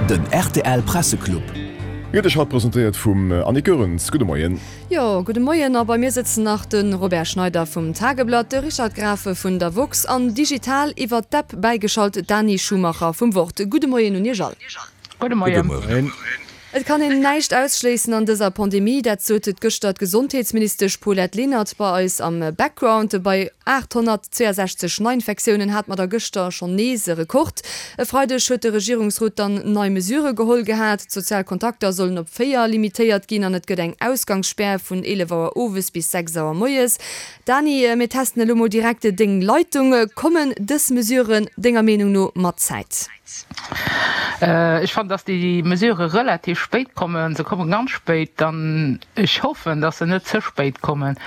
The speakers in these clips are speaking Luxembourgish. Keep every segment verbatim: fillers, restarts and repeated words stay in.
Den rtl Presseclub. Gëtt Iech haut presentéiert vum Annick Goerens. Gudde Moien. Jo, gudde Moien. A bei mir sëtzen nach de Robert Schneider vum Tageblatt, de Richard Graffe vun der woxx an digital iwwer d'App bäigeschalt d'Dani Schumacher vum Wort. Gudde Moien un Iech all. Gudde Moien. Et kann een näischt ausschléissen an dëser Pandemie, dat sot gëschter d'Gesondheetsministesch Paulette Lenert bei eis am Background. Bei aathonnertzweeasechzeg Neiinfektiounen hat mer da gëschter schonn nees e Rekord. E Freideg huet de Regierungsrot dann nei Mesurë geholl gehat. D'sozial Kontakter sollen op véier limitéiert ginn an et gëtt eng Ausgangsspär vun eelef Auer owes bis sechs Auer moies. Dani, mir testen elo mol direkt deng Leitung. Kommen dës Mesuren denger Meenung no mat Zäit? Ech fannen, dass déi Mesurë relativ spéit kommen. Se komme ganz spéit an ech hoffen, dass se net ze spéit kommen.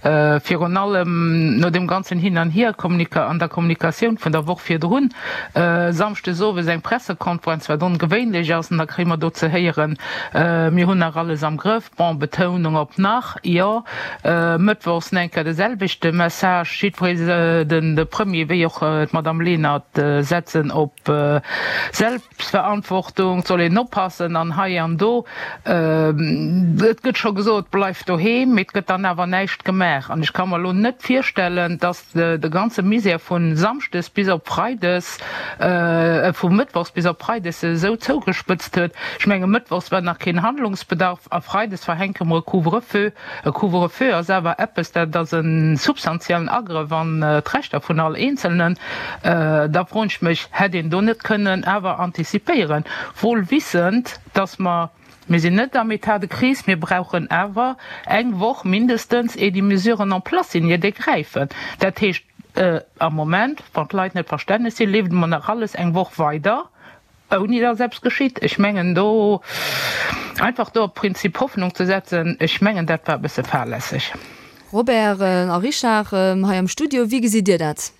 Virun allem no deem ganzen Hin an Hier an der Kommunikatioun vun der Woch virdrun, samschdes owes eng Pressekonferenz, wat ongewéinlech ass, an da kréie mer do ze héieren, mir hunn nach alles am Grëff. Bon, Betounung op nach, jo. Mëttwochs nach eng Kéier de selwechte Message. Jiddweree, de Premier wéi och d'Madame Lenert, setzen op Selbstverantwortung, et soll een oppassen an hei an do. Et gëtt scho gesot, bleift doheem, mee et gëtt dann awer näischt gemaach. An ech ka mer elo net virstellen, datt de ganze Misär vu samschdes bis op freides, vu mëttwochs bis op freides sech esou zougespëtzt huet. Ech menge mëttwochs war nach keen Handlungsbedarf a freides verhänke mer e Couvre-feu. E Couvre-feu ass awer eppes, dat ass e substantiellen Agrëff an d'Rechter vun all Eenzelnen. Da froen ech mech, Hätt een do net kënnen awer antizipéieren, wohl wissend, dass mer, mir sinn net am État de crise, mir brauchen awer eng Woch mindestens, ier déi Mesuren en place sinn, ier déi gräifen. Dat heescht, am Moment, wann d'Leit net verstänneg sinn, leeft emol nach alles eng Woch weider, ouni dass eppes geschitt. Ech mengen, do einfach do op Prinzip Hoffnung ze setzen, ech mengen, dat war e bësse fahrlässeg. Robert a Richard hei am Studio, wéi gesitt Dir dat?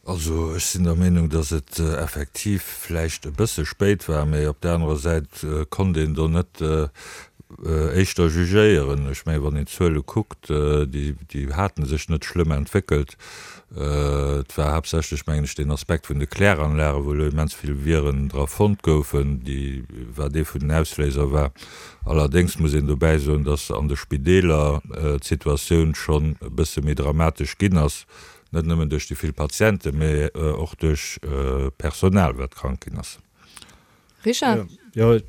Also ech sinn der Meenung, datt et effektiv vläicht e bësse spéit war, mä op där anerer Säit konnt een do net éischter jugéieren. Ech mengen, wann een d'Zuele kuckt, déi, déi hate sech net schlëmm entwéckelt. Et war haaptsächlech, mengen ech, deen Aspekt vun de Kläranlagen, wou elo immens vill Viren dra fonnt goufen, déi, wat ee vun den Ausléiser war. Allerdéngs muss een dobäi soen, datt an de Spideeler d'Situatioun schonn e bësse méi dramatesch ginn ass, net nëmmen duerch déi vill Patienten, mee och duerch d'Personal, wat krank ginn ass. Richard? Jo,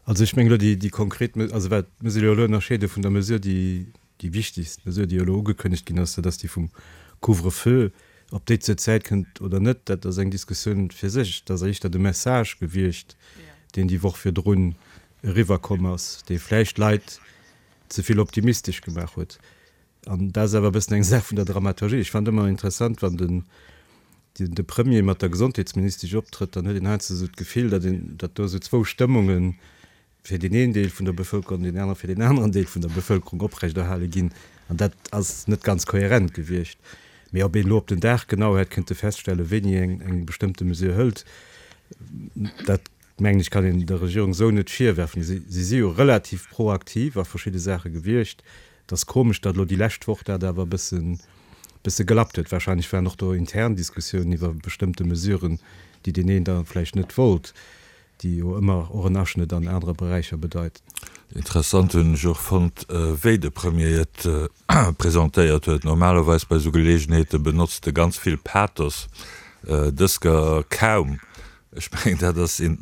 also ech mengen elo déi, déi konkret, also wat, muss een jo elo ënnerscheede vun der Mesure, déi, déi wichtigst Mesure, déi elo ugekënnegt ginn ass, dat ass déi vum Couvre-feu. Ob déi zur Zäit kënnt oder net, dat ass eng Diskussioun fir sech. Dat ass éischter de Message gewiescht, deen déi Woch virdrun eriwwerkomm ass, dee vläicht d'Leit ze vill optimistesch gemaach huet. An dat ass awer e bëssen eng Saach vun der Dramaturgie. Ech fannen et ëmmer interessant, wann den, de Premier mat der Gesondheetsministesch optrëtt, dann huet een heiansdo esou d'Gefill, datt een, datt do esou zwou Stëmmunge fir deen een Deel vun der Bevëlkerung an deen anere fir deen aneren Deel vun der Bevëlkerung oprechterhale ginn. An dat ass net ganz kohärent gewiescht. Mee ob een elo op den Dag genau hätt kënnte feststellen, wéini een eng bestëmmte Mesure hëlt, dat, mengen ech, kann een der Regierung esou net virwerfen. Si si jo relativ proaktiv a verschidde Saache gewiescht. Et ass komesch, datt elo déi lescht Woch dat awer e bëssen, bësse gelappt huet. Wahrscheinlech waren och do intern Diskussiounen iwwer bestëmmte Mesuren, déi deen een da vläicht net wollt, déi jo ëmmer och en Aschnëtt an anere Beräicher bedeit. Interessant hunn ech och fonnt, wéi de Premier et presentéiert huet. Normalerweis bei esou Geleegenheete benotzt e ganz vill Pathos, dës Kéier kaum. Ech mengen, dat ass een,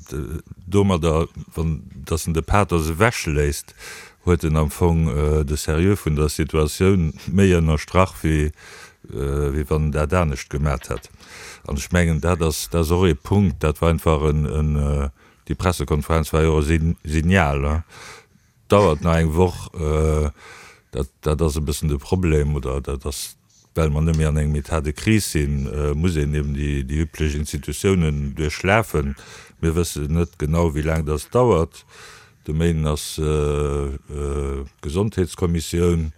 domadder, wann datt en de Pathos ewechléisst, huet en am Fong de Sérieux vun der Situatioun méi ënnerstrach, wéi wéi wann en dat anescht gemat hätt. An ech mengen, dat ass, dat ass och ee Punkt, dat war einfach en, en, déi Pressekonferenz war jo och e Signal, dauert nach eng Woch, dat, dat ass e bëssen de Problem, oder dat ass, well mer net méi an engem État de crise sinn, muss een eben déi, déi üblech Institutiounen duerchlafen. Mir wëssen net genau, wéi laang dass dauert. De Méinden ass d'Gesondheetskommissioun.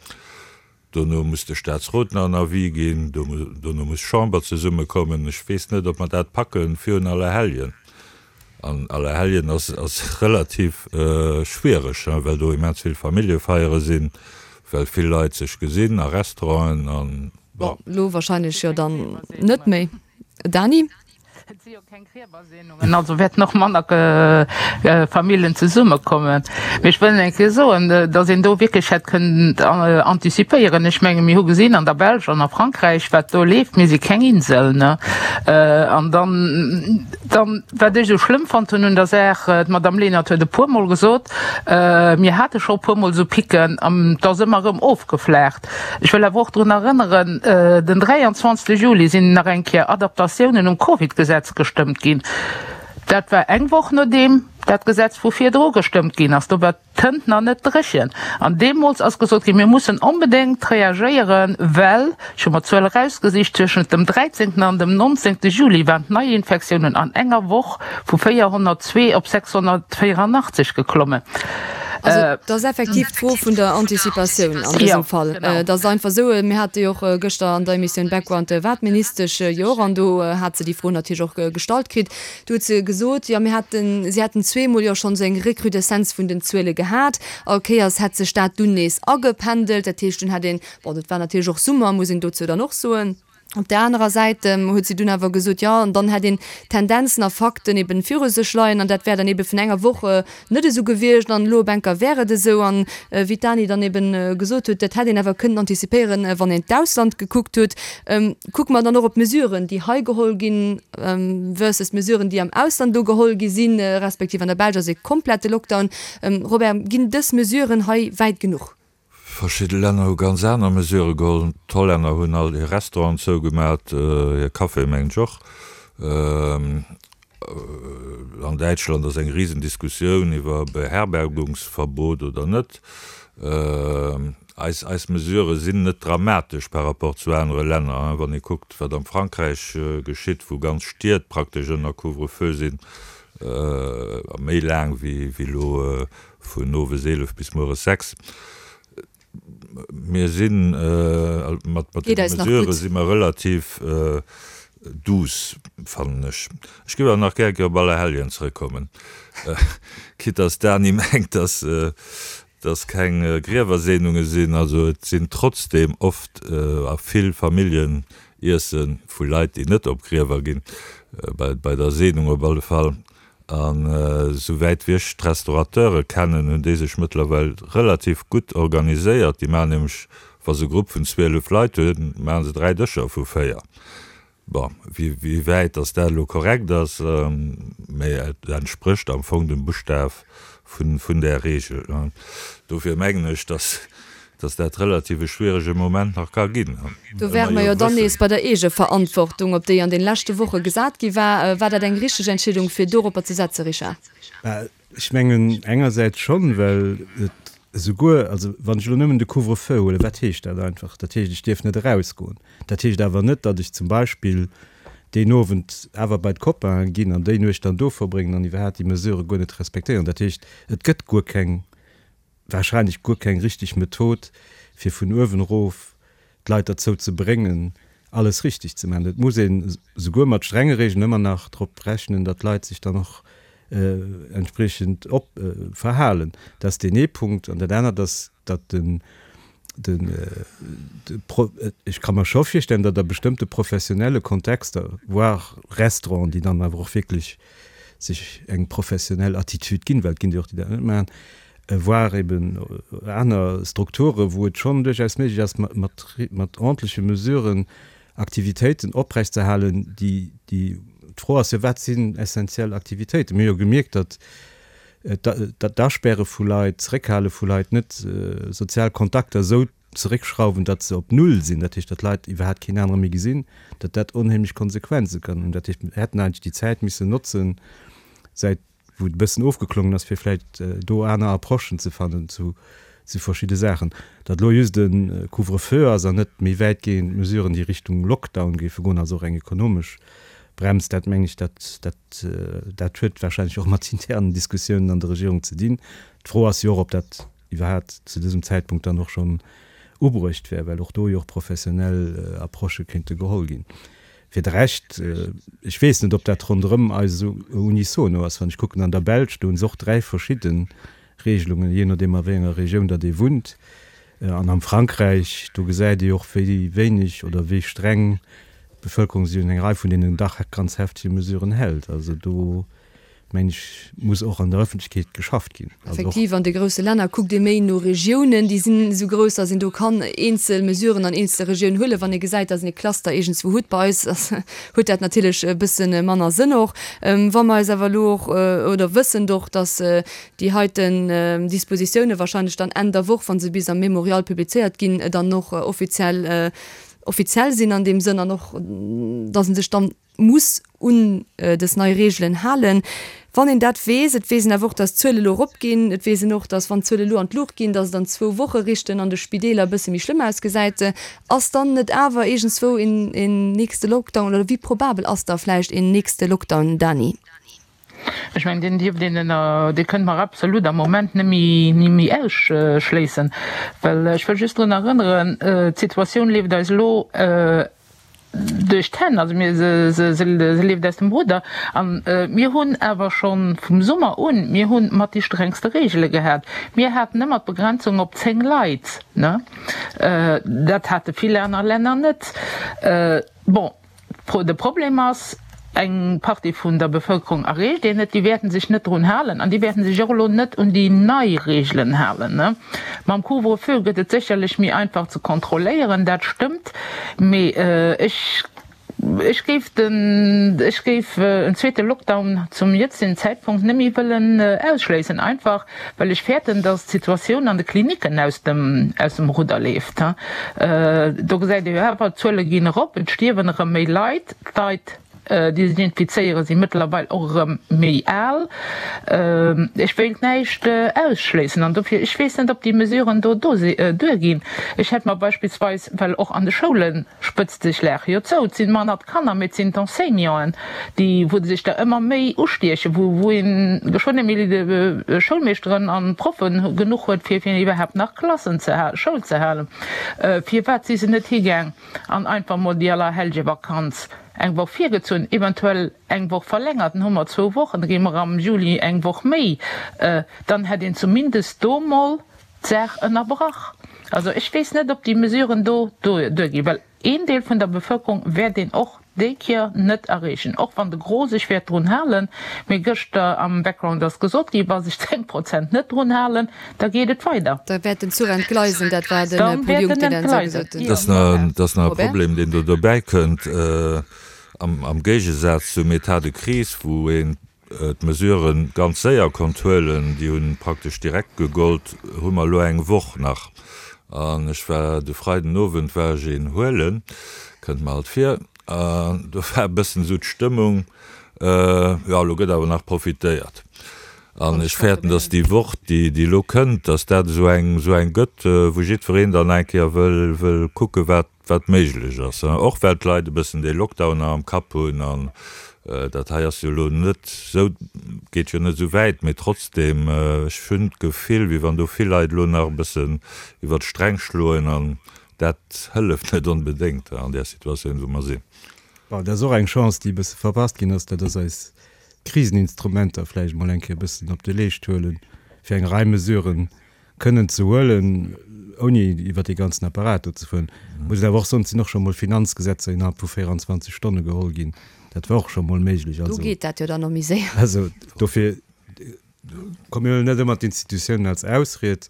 Dono muss de Staatsrot nach en Avis ginn. Dono muss d'Chamber zesummekommen. Ech weess net, ob mer dat packen virun Allerhelljen. An Allerhelljen ass ass relativ schwiereg, well do immens vill Familljefeiere sinn, well vill Leit sech gesinn a Restauranten an bon. Bon, elo wahrscheinlech jo dann net méi. Dany? Et si jo keng Griewerseenungen, also wäerten och manner Familljen zesummekommen. Mee ech wëll eng Kéier soen, datt een do wierklech hätt kënnen antizipéieren. Ech menge mir hu gesinn an der Belsch an a Frankräich, wat do leeft. Mir si keng Insel, ne? An dann, dann, wat ech esou schlëmm fonnt hunn un der Saach, d'Madame Lenert huet e puermol gesot, mir hate scho e puermol esou Picken an et ass ëmmer erëm ofgeflaacht. Ech wëll awer och drun erënneren, den dräianzwanzegste Juli sinn nach eng Kéier Adaptatiounen um Covid-Gesetz gestëmmt ginn. Dat war eng Woch nodeem dat Gesetz vu virdru gestëmmt ginn ass. Do war d'Tënt nach net dréchen. An deemools ass gesot ginn, mir mussen onbedéngt reagéieren, well, ech hu mer d'Zuel erausgesicht, tëschent dem dräizéngten an dem nonzéngte Juli waren d'Neiinfektiounen an enger Woch vu véierhonnertzwee op sechshonnertvéierannachtzeg geklommen. Also et ass effektiv d'Fro vun der Anticipatioun an dësem Fall. Et ass einfach esou, mir hate jo och gëschter an der Emissioun Background war d'Ministesch jo och an do hat se déi Fro natierlech och gestallt kritt. Do huet se gesot, jo mir hätten, si hätten zweemol jo schonn esou eng Recrudescence vun den Zuele gehat. All Kéiers hätt sech dat dunn nees agependelt. Dat heescht, dunn hätt een, bon dat war natierlech och Summer, muss een dozou dann och soen. Op där anerer Säit huet si dunn awer gesot, jo, an dann hätt een Tendenzen a Fakten eben viru sech leien an dat wär dann ebe vun enger Woch net esou gewiescht an elo op enker wär et esou. An wéi d'Dany dann eben gesot huet, dat hätt een awer kënnen antizipéieren, wann een d'Ausland gekuckt huet. Kucke mer dann och op d'Mesuren, déi hei geholl ginn versus d'Mesuren, déi am Ausland do geholl gi sinn, respektiv an der Belsch ass e komplette Lockdown. Robert, ginn dës Mesuren hei wäit genuch? Verschidde Länner hu ganz aner Mesurë geholl. D'Hollänner hunn all hir Restauranten zougemat, hir Caféë mengen ech och. An Däitschland ass eng Risendiskussioun iwwer Beherbergungsverbot oder net. Eis eis Mesurë sinn net dramatesch par rapport zu anere Länner. Wann ee kuckt, wat am Frankräich geschitt, wou ganz Stied praktesch ënner Couvre-feu sinn, a méi laang wéi elo vun owes eelef bis mueres sechs. Mir sinn mat deene Mesurë si mer relativ douce, fannen ech. Ech géif awer nach gär eng Kéier op Allerhelljen zrëckkommen, quitte dass d'Dany mengt, dass dass keng Griewerseenunge sinn. Also et sinn trotzdeem oft a vill Familljeniesse vu Leit, déi net op Griewer ginn, bei der Seenung op alle Fall. An esouwäit wéi ech d'Restaurateure kennen, hunn déi sech mëttlerweil relativ gutt organiséiert. Déi maachen nämlech, wa se e Grupp vun zwielef Leit hunn, maache se dräi Dëscher vu véier. Bon, wéi wäit datt dat elo korrekt ass, mä et entsprécht am Fong dem Buschtaf vun där Regel. Dofir mengen ech, datt dass dat relativ e schwierege Moment nach ka ginn. Do wäre mer jo dann nees bei der Eegeverantwortung, op déi an den leschte Woche gesat gi war. War dat eng richteg Entscheedung, fir doropper ze setzen, Richard? Ech mengen engersäits schonn, well et esouguer, also wann ech elo nëmmen de Couvre-feu huelen, wat heescht dat einfach? Dat heescht, ech dierf net erausgoen. Dat heescht awer net, datt ech zum Beispill deen Owend awer bei d'Copainen ginn an déi Nuecht dann do verbréngen an iwwerhaapt déi Mesurë guer net respektéieren. Dat heescht, et gëtt guer keng wahrscheinlech guer keng richteg Method, fir vun uewen erof d'Leit derzou ze bréngen, alles richteg ze maachen. Et muss een esouguer mat strenge Regeln ëmmer nach drop rechnen, datt d'Leit sech dann och entspriechend op verhalen. Dat ass deen ee Punkt. An dat anert ass, datt den, den, de Pro, ech ka mer scho virstellen, datt a bestëmmte professionelle Kontexter, voire Restauranten, déi dann awer och wierklech sech eng professionell Attitude ginn, well et ginn der och, déi dat net maachen, voire eben aner Strukturen, wou et schonn duerchaus méiglech ass, mat, mat ordentleche Mesuren Aktivitéiten oprechtzeerhalen, déi, déi, d'Fro ass jo, wat sinn essentiell Aktivitéiten? Mir hu jo gemierkt, datt d'Aspäre vu Leit, d'Zeréckhale vu Leit net sozial Kontakter esou zeréckschrauwen, datt se op Null sinn, dat heescht, datt d'Leit iwwerhaapt keen anere méi gesinn, datt dat onheemlech Konsequenze kann hunn. Dat heescht, mir hätten eigentlech déi Zäit missen notzen, säit wou et e bëssen ofgeklongen ass, fir vläicht do aner Approchen ze fannen zu verschidde Saachen. Datt elo just e Couvre-feu ass an net méi wäitgehend Mesuren, déi Richtung Lockdown géife goen, also och eng ekonomesch Brems, dat mengen ech, dat, dat, dat huet wahrscheinlech och mat internen Diskussiounen an der Regierung ze dinn. D'Fro ass jo och, ob dat iwwerhaapt zu dësem Zäitpunkt dann och schonn ubruecht wär, well och do jo och professionell Approchë kéinte geholl ginn. Fir de Rescht, ech weess net, ob dat ronderëm eis esou unisono ass. Wann ech kucken an der Belsch, do hu se och dräi verschidde Regelungen, jee nodeem a wéi enger Regioun datt ee wunnt. An am Frankräich, do gesäit ee och, wéi wéineg oder wéi streng d'Bevëlkerung sech un eng Rei vun deenen dach ganz heftege Mesuren hält. Also do, mengen ech, muss och an der Ëffentlechkeet geschafft ginn. Also och. Effektiv, an de grousse Länner kuckt ee méi no Regiounen, déi sinn esou grouss, datt een do kann eenzel Mesuren an eenzele Regiounen huelen, wann ee gesäit, datt een e Cluster iergendswou huet. Bei eis huet dat natierlech e bësse manner Sënn och. Wa mer eis awer elo och, oder wëssend och, datt déi heiten Dispositioune wahrscheinlech dann Enn der Woch, wa se bis am Mémorial publizéiert ginn, dann och offiziell offiziell sinn an deem Sënn an och, datt ee sech dann muss un dës nei Reegelen halen. Wann een dat weess, et weess een awer och, datt d'Zuele elo eropginn, et weess een och, datt wann d'Zuele elo an d'Luucht ginn, datt et an zwou Woche richten an de Spideeler e bësse méi schlëmm ausgesäit. Ass dann net awer iergendswou een een nächste Lockdown oder wéi probabel ass da vläicht een nächste Lockdown, Dany? Ech mengen, deen dierft een ënner, dee kënne mer absolut am Moment net méi, ni méi ausschléissen, well ech wëll just drun erënneren, d'Situatioun leeft eis elo duerch d'Hänn, also mir, se, se, se leeft aus dem Rudder. A mir hunn awer scho vum Summer un, mir hu mat déi strengste Reegele gehat. Mir haten ëmmer d'Begrenzung op zéng Leit, ne? Dat hate vill aner Länner net. Bon. De Problem ass, eng Partie vun der Bevëlkerung erreecht een net, déi wäerten sech net drun halen an déi wäerten sech och elo net un déi nei Reegelen halen. Mam Couvre-feu gëtt et sécherlech méi einfach ze kontrolléieren, dat stëmmt, mee ech ech géif den ech géif en zweete Lockdown zum jëtzegen Zäitpunkt net méi wëllen ausschléissen, einfach well ech fäerten, datt d'Situatioun an de Klinicken aus dem aus dem Rudder leeft. Do gesäit ee jo awer, d'Zuele ginn erop, et stierwen erëm méi Leit, d'Leit, déi sech infizéieren, si mëttlerweil och erëm méi al. Ech wéilt näischt ausschléissen an dofir, ech weess net, ob déi Mesuren do duerginn. Ech hätt mer beispillsweis, well och an de Schoule spëtzt sech Lag jo zou, et sinn manner d'Kanner, mee et sinn d'Enseignanten, déi, wou sech der ëmmer méi ustiechen, wou, wou ee geschwënn net méi Schoulmeeschteren an Proffen genuch huet, fir fir iwwerhaapt nach Klassen ze halen, Schoul ze halen. Firwat si se net higaang an einfach mol déi Allerhelljevakanz eng Woch virgezunn, eventuell eng Woch verlängert, dann hu mer zwou Wochen, da gi mer am Juli eng Woch méi, dann hätt een zumindest do mol d'Saach ënnerbrach. Also ech weess net, ob déi Mesuren do duerginn, well een Deel vun der Bevëlkerung wäert een och déi Kéier net erreechen, och wann de Gros sech wäert drun halen. Mee gëschter am Background ass gesot ginn, wa sech zéng Prozent net drun halen, da geet et weider. Da wäert den Zuch entgleisen, dat war de Paul Junck, deen dat esou gesot huet. Dat ass nach e Problem, deen do dobäi kënnt, am Géigesaz zum État de crise, wou een d'Mesuren ganz séier konnt huelen, déi hu praktesch direkt gegollt, hu mer elo eng Woch nach. An ech war de Freiden Owend war ech een huelen, kënnt mer alt vir, an do war e bëssen esou d'Stëmmung, jo elo gëtt awer nach profitéiert. An ech fäerten, datt déi Woch, déi elo kënnt, datt dat esou eng esou eng gëtt, wou jiddwereen dann eng Kéier wëll wëll kucke wat wat méiglech ass, och well d'Leit e bëssen dee Lockdown nach am Kapp hunn an dat hei ass jo elo net esou, geet jo net esou wäit, mee trotzdeem, ech hunn d'Gefill, wéi wann do vill Leit elo nach e bëssen iwwert d'Sträng schloen an dat hëlleft net onbedéngt an där Situatioun, wou mer sinn. Bon, dat ass och eng Chance, déi e bësse verpasst ginn ass, dat ass eis Kriseninstrumenter vläicht emol eng Kéier e bëssen op de Leescht huelen, fir eng Rei Mesuren kënnen ze huelen, ouni iwwert dee ganzen Apparat do ze fueren. Muss een awer och soen, et sinn och scho mol Finanzgesetzer innerhalb vu véierundzwanzeg Stonne geholl ginn. Dat war och scho mol méiglech. Do geet dat jo dann och méi séier. Also dofir, komm, mir huelen net ëmmer d'Institutiounen als Ausried.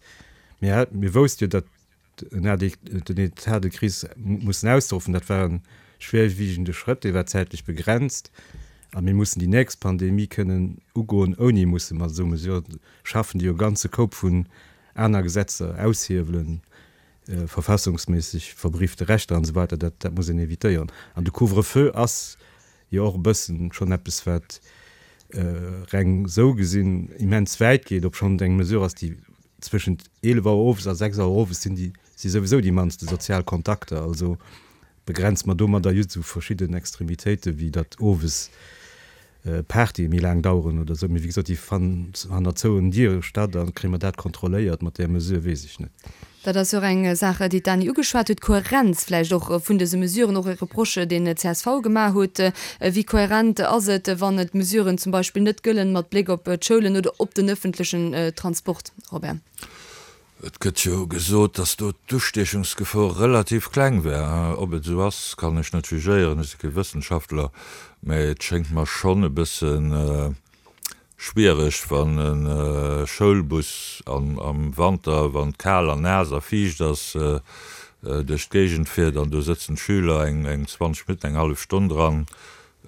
Mir, mir wousste jo, datt den État de crise mussen auszeruffen, dat war e schwerwiegende Schrëtt, dee war zäitlech begrenzt. A mir mussen déi nächst Pandemie kënnen ugoen, ouni musse mat esou Mesuren schaffen, déi jo e ganze Koup vun aner Gesetzer aushiewelen, verfassungsméisseg verbriefte Rechter an esou weider. Dat, dat muss een évitéieren. An de Couvre-feu ass jo och e bëssen schonn eppes, wat reng esou gesinn immens wäit geet, obschonn et eng Mesure ass, déi zwëschent eelef Auer owes a sechs Auer owes sinn, déi si souwisou déi mannste sozial Kontakter. Also begrenze mer domadder just esou verschidden Extremitéiten, wéi datt owes Partye méi laang daueren oder esou. Mee wéi gesot, déi fannen hanner zouen Diere statt a kréie mer dat kontrolléiert mat där Mesure, weess ech net. Dat ass jo och eng Saach, déi d'Dany ugeschwat huet, d'Kohärenz vläicht och vun dëse Mesuren, och e Reproche, deen d'CSV gemaach huet. Wéi kohärent ass et, wann d'Mesuren zum Beispill net gëllen mat Bléck op d'Schoulen oder op den ëffentlechen Transport, Robert? Et gëtt jo gesot, datt do d'Ustiechungsgefor relativ kleng wär. Ob et esou ass, kann ech net jugéieren, ech si kee Wëssenschaftler, mä et schéngt mer schonn e bësse schwiereg, wann e Schoulbus am Wanter, wann et kal an naass a fiicht ass, duerch d'Géigend fiert an do sëtzen d'Schüler eng zwanzeg Minutten, eng hallef Stonn dran.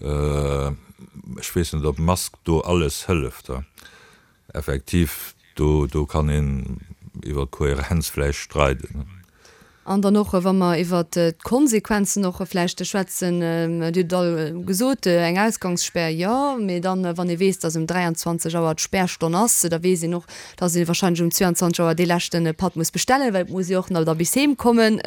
Ech weess net, ob d'Mask do alles hëlleft. Effektiv, do do kann een iwwer d'Kohärenz vläicht streiden. An dann och, wa mer iwwer d'Konsequenzen och vläicht schwätzen, Dir hutt et all gesot, eng Ausgangsspär, jo, mee dann, wann ee weess, datt um dräianzwanzeg Auer d'Spärstonn ass, da weess een och, datt ee wahrscheinlech um zweianzwanzeg Auer dee leschte Patt muss bestellen, well et muss ee och nach da bis heem kommen.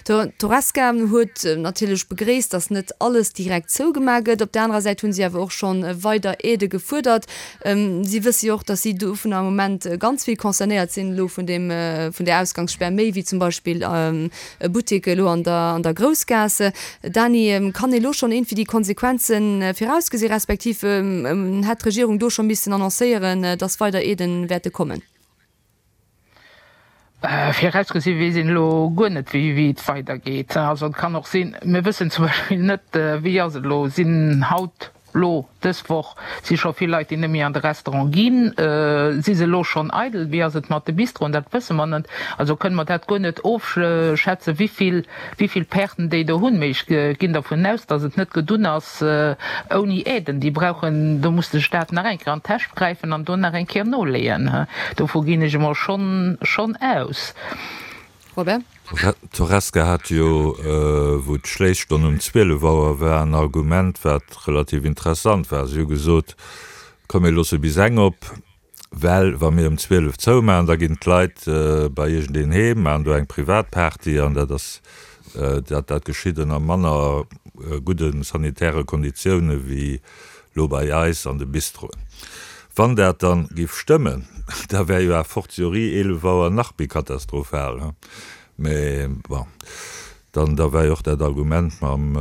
D'Horesca huet natierlech begréisst, datt net alles direkt zougemaach gëtt. Op där anerer Säit hu si awer och scho weider Aidë gefuerdert. Si wësse jo och, datt si dovunner am Moment ganz vill concernéiert sinn elo vun deem, vun där Ausgangsspär, méi wéi zum Beispill e Buttek elo an der, an der Groussgaass. Dany, kann ee lo schonn iergendwéi déi Konsequenze virausgesi respektiv hätt d'Regierung do scho missen annoncéieren, datt weider Aidë wäerte kommen? Virausgesi weess een elo guer net, wéi et weidergeet. Also et kann och sinn, mir wëssen zum Beispill net, wéi ass et elo, sinn haut Lo, dës Woch, si scho vill Leit, déi net méi an de Restaurant ginn. Si se elo schonn eidel? Wéi ass et mat de Bistroen? Dat wësse mer net. Also kënne mer dat guer net ofschätzen, wéi vill, wéi vill Perten déi do hunn. Mee ech ginn dervun aus, datt et net gedunn ass ouni Aiden. Déi brauchen, do muss de Staat nach eng Kéier an d'Täsch gräifen an do nach eng Kéier noleeën. Dovu ginn ech emol schonn, schonn aus. Robert? D'Horesca hat jo, wou d'Schléisstonn um zwielef Auer war, en Argument, wat relativ interessant war. Si hu gesot, Komm mir loosse bis eng op, well wa mir um zwielef zoumaachen, da ginn d'Leit bei iergendeen heem, maachen do eng Privatparty an dat ass, dat dat geschitt ënner manner gudde sanitäre Konditioune wéi lo bei eis an de Bistroen. Wann dat dann giff stëmmen, da wär jo a fortiori eelef Auer nach méi katastrophal. Mä bon, dann da war jo och dat Argument mam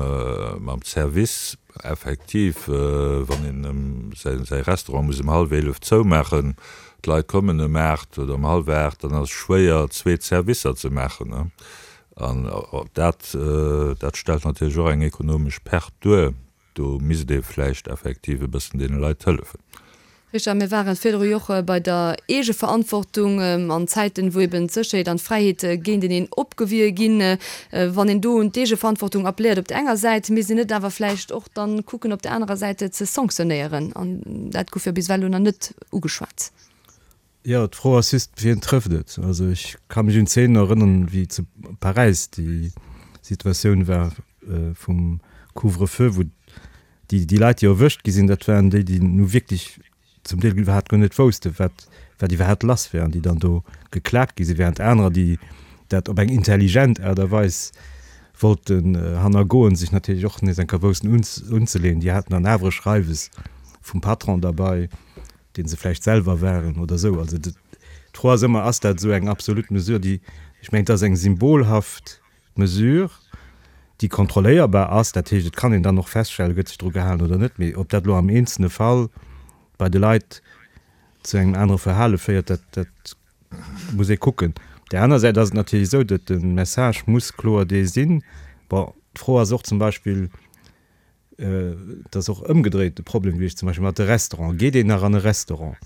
mam Service effektiv, wann een ëm säi säi Restaurant muss ëm hallef eelef zoumaachen, d'Leit kommen ëm aacht oder ëm hallef aacht, dann ass et schwéier zwee Servicer ze maachen. An dat dat stellt natierlech och eng ekonomesch Perte duer. Do misst ee vläicht effektiv e bëssen deene Leit hëllefen. Richard, mir ware virdru jo och bei der Eegeverantwortung an Zäiten, wou eben d'Sécherheet an d'Fräiheet géinteneen opgewie ginn. Wann een do un d'Eegeverantwortung appelléiert op der enger Säit, misst een net awer vläicht och dann kucken op der anerer Säit ze sanktionéieren? An dat gouf jo bis ewell elo nach net ugeschwat. Jo, d'Fro ass just, wien trëfft et? Also ech ka mech un Zeenen erënnern, wéi zu Paräis déi Situatioun war vum Couvre-feu, wou déi, déi Leit, déi erwëscht gi sinn, dat waren déi, déi nu wierklech zum Deel iwwerhaapt guer net woussten, wat, wat iwwerhaapt lass wär an déi dann do geklakt gi sinn, während anerer, déi dat op eng intelligent Aart a Weis wollten hannergoen, sech natierlech och nees eng Kéier woussten unzeleeën. Déi haten dann awer e Schreiwes vum Patron derbei, dee se vläicht selwer waren oder esou. Also d'Fro ass ëmmer, Ass dat esou eng absolut Mesure, déi, ech mengen, et ass eng symbolhaft Mesure, déi kontrolléierbar ass, dat heescht, et kann een dann och feststellen, gëtt sech dru gehalen oder net, mee ob dat elo am eenzelne Fall bei de Leit zu engem anere Verhale féiert, dat, dat muss ee kucken. Op där aner Säit ass et natierlech esou, datt de Message muss kloer dee sinn. Bon, d'Fro ass och zum Beispill, Et ass och ëmgedréit de Problem gewiescht, zum Beispill mat de Restauranten. Geet een nach an e Restaurant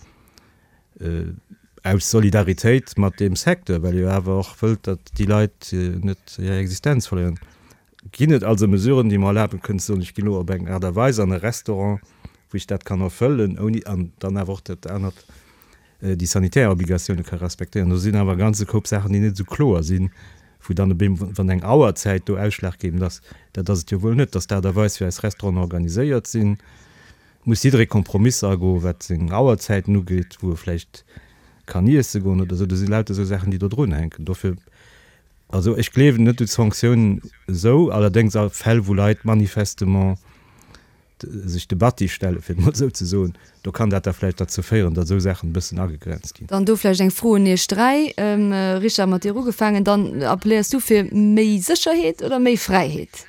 aus Solidaritéit mat deem Secteur, well ee jo awer och wëllt, datt déi Leit net hir Existenz verléieren? Ginn et also Mesuren, déi mer erlaben kënnen ze soen, ech ginn elo op eng Aart a Weis an e Restaurant, wou ech dat kann erfëllen, ouni an dann awer och dat anert, déi sanitär Obligatioune ka respektéieren. Do sinn awer e ganze Koup Saachen, déi net esou kloer sinn, wou dann op eemol, wann eng Auerzäit do ausschlaggebend ass, dat ass et jo wuel net, dass d'Aart a Weis, wéi eis Restauranten organiséiert sinn, muss jidderee Kompromisser agoen, wat seng Auerzäiten ugeet, wou e vläicht kann iesse goen oder esou. Do si lauter esou Saachen, déi do drunhänken. Dofir, also ech gleewen net u Sanktiounen esou, allerdéngs a Fäll, wou Leit manifestement sech de Batti stellen, fir et mol esou ze soen, do kann dat da vläicht derzou féieren, datt esou Saachen e bëssen agegrenzt ginn. Dann do vläicht eng Fro un Iech dräi. Richard, mat dir ugefaangen, dann appelléiers du fir méi Sécherheet oder méi Fräiheet?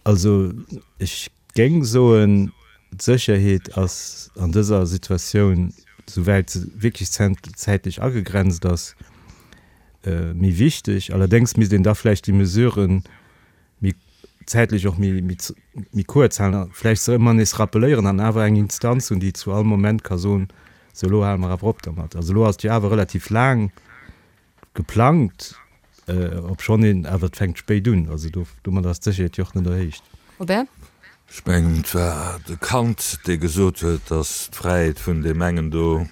Also ech géing soen, d'Sécherheet ass an dëser Situatioun souwäit se wierklech zäitlech agegrenzt ass, méi wichteg. Allerdéngs misst een da vläicht déi Mesuren méi zäitlech och méi, méi kuerz halen a vläicht se ëmmer nees rappeléieren an awer eng Instanz hunn, déi zu all Moment ka soen, Sou, elo hale mer awer op dermat. Also elo ass et jo awer relativ laang geplangt, obschonn een awer, et fänkt spéit un. Also do, domat ass d'Sécherheet jo och net erhéicht. Robert? Ech mengen, et war de Kant, dee gesot huet, datt d'Fräiheet vun deem engen do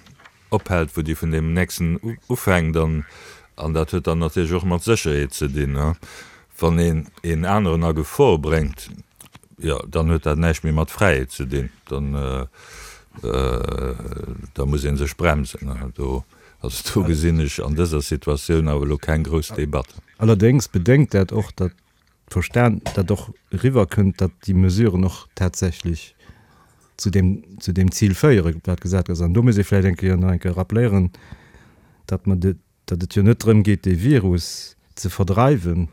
ophält, wou déi vun deem nächsten ufänkt. An dat huet dann natierlech och mat Sécherheet ze dinn. Wann een een aneren a Gefor bréngt, jo, dann huet dat näischt méi mat Fräiheet ze dinn. Dann, da muss ee sech bremsen. Do, also do gesinn ech an dëser Situatioun awer elo keng grouss Debatt. Allerdéngs bedéngt dat och, datt d'Verstan, datt och eriwwerkënnt, datt déi Mesuren och tatsächlech zu deem, zu deem Zil féieren, wat gesat ass. An do muss ee vläicht eng Kéier nach eng Kéier rappeléieren, datt mer de, datt et jo net drëm geet, dee Virus ze verdreiwen,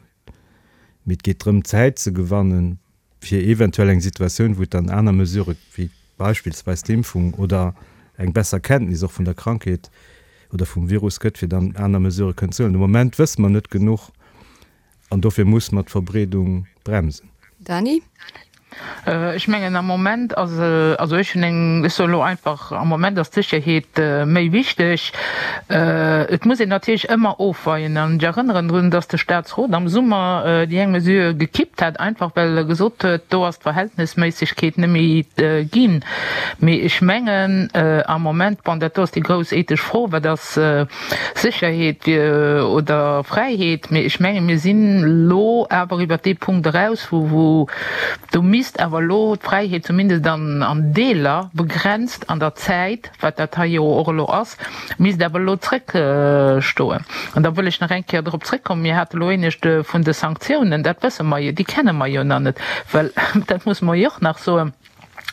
mee et geet drëm, Zäit ze gewannen, fir eventuell eng Situatioun, wou et dann aner Mesurë wéi beispillsweis d'Impfung oder eng besser Kenntnis och vun der Krankheet oder vum Virus gëtt, fir dann aner Mesurë kënnen ze huelen. De Moment wësse mer net genuch an dofir muss mer d'Verbreedung bremsen. Dany? Ech mengen am Moment ass, also ech hunn eng, ech soe elo einfach, am Moment ass d'Sécherheet méi wichteg. Et muss een natierlech ëmmer ofweien an ech erënneren drun, datt de Statsrot am Summer déi eng Mesure gekippt hat, einfach well e gesot huet, do ass d'Verhältnesméissegkeet net méi ginn. Mee ech mengen am Moment, bon dat do ass déi grouss ethesch Fro, wat ass Sécherheet oder Fräiheet, mee ech menge mir sinn elo awer iwwert dee Punkt eraus, wou do misst awer elo d'Fräiheet zumindest an Deeler begrenzt an der Zäit, wat dat hei jo och elo ass, misst awer elo zrëckstoen. An da wëll ech nach eng Kéier drop zrëckkommen, mir hate elo éinescht vun de Sanktiounen, dat wësse mer jo, déi kenne mer jo nach net, well dat musse mer jo och nach soen,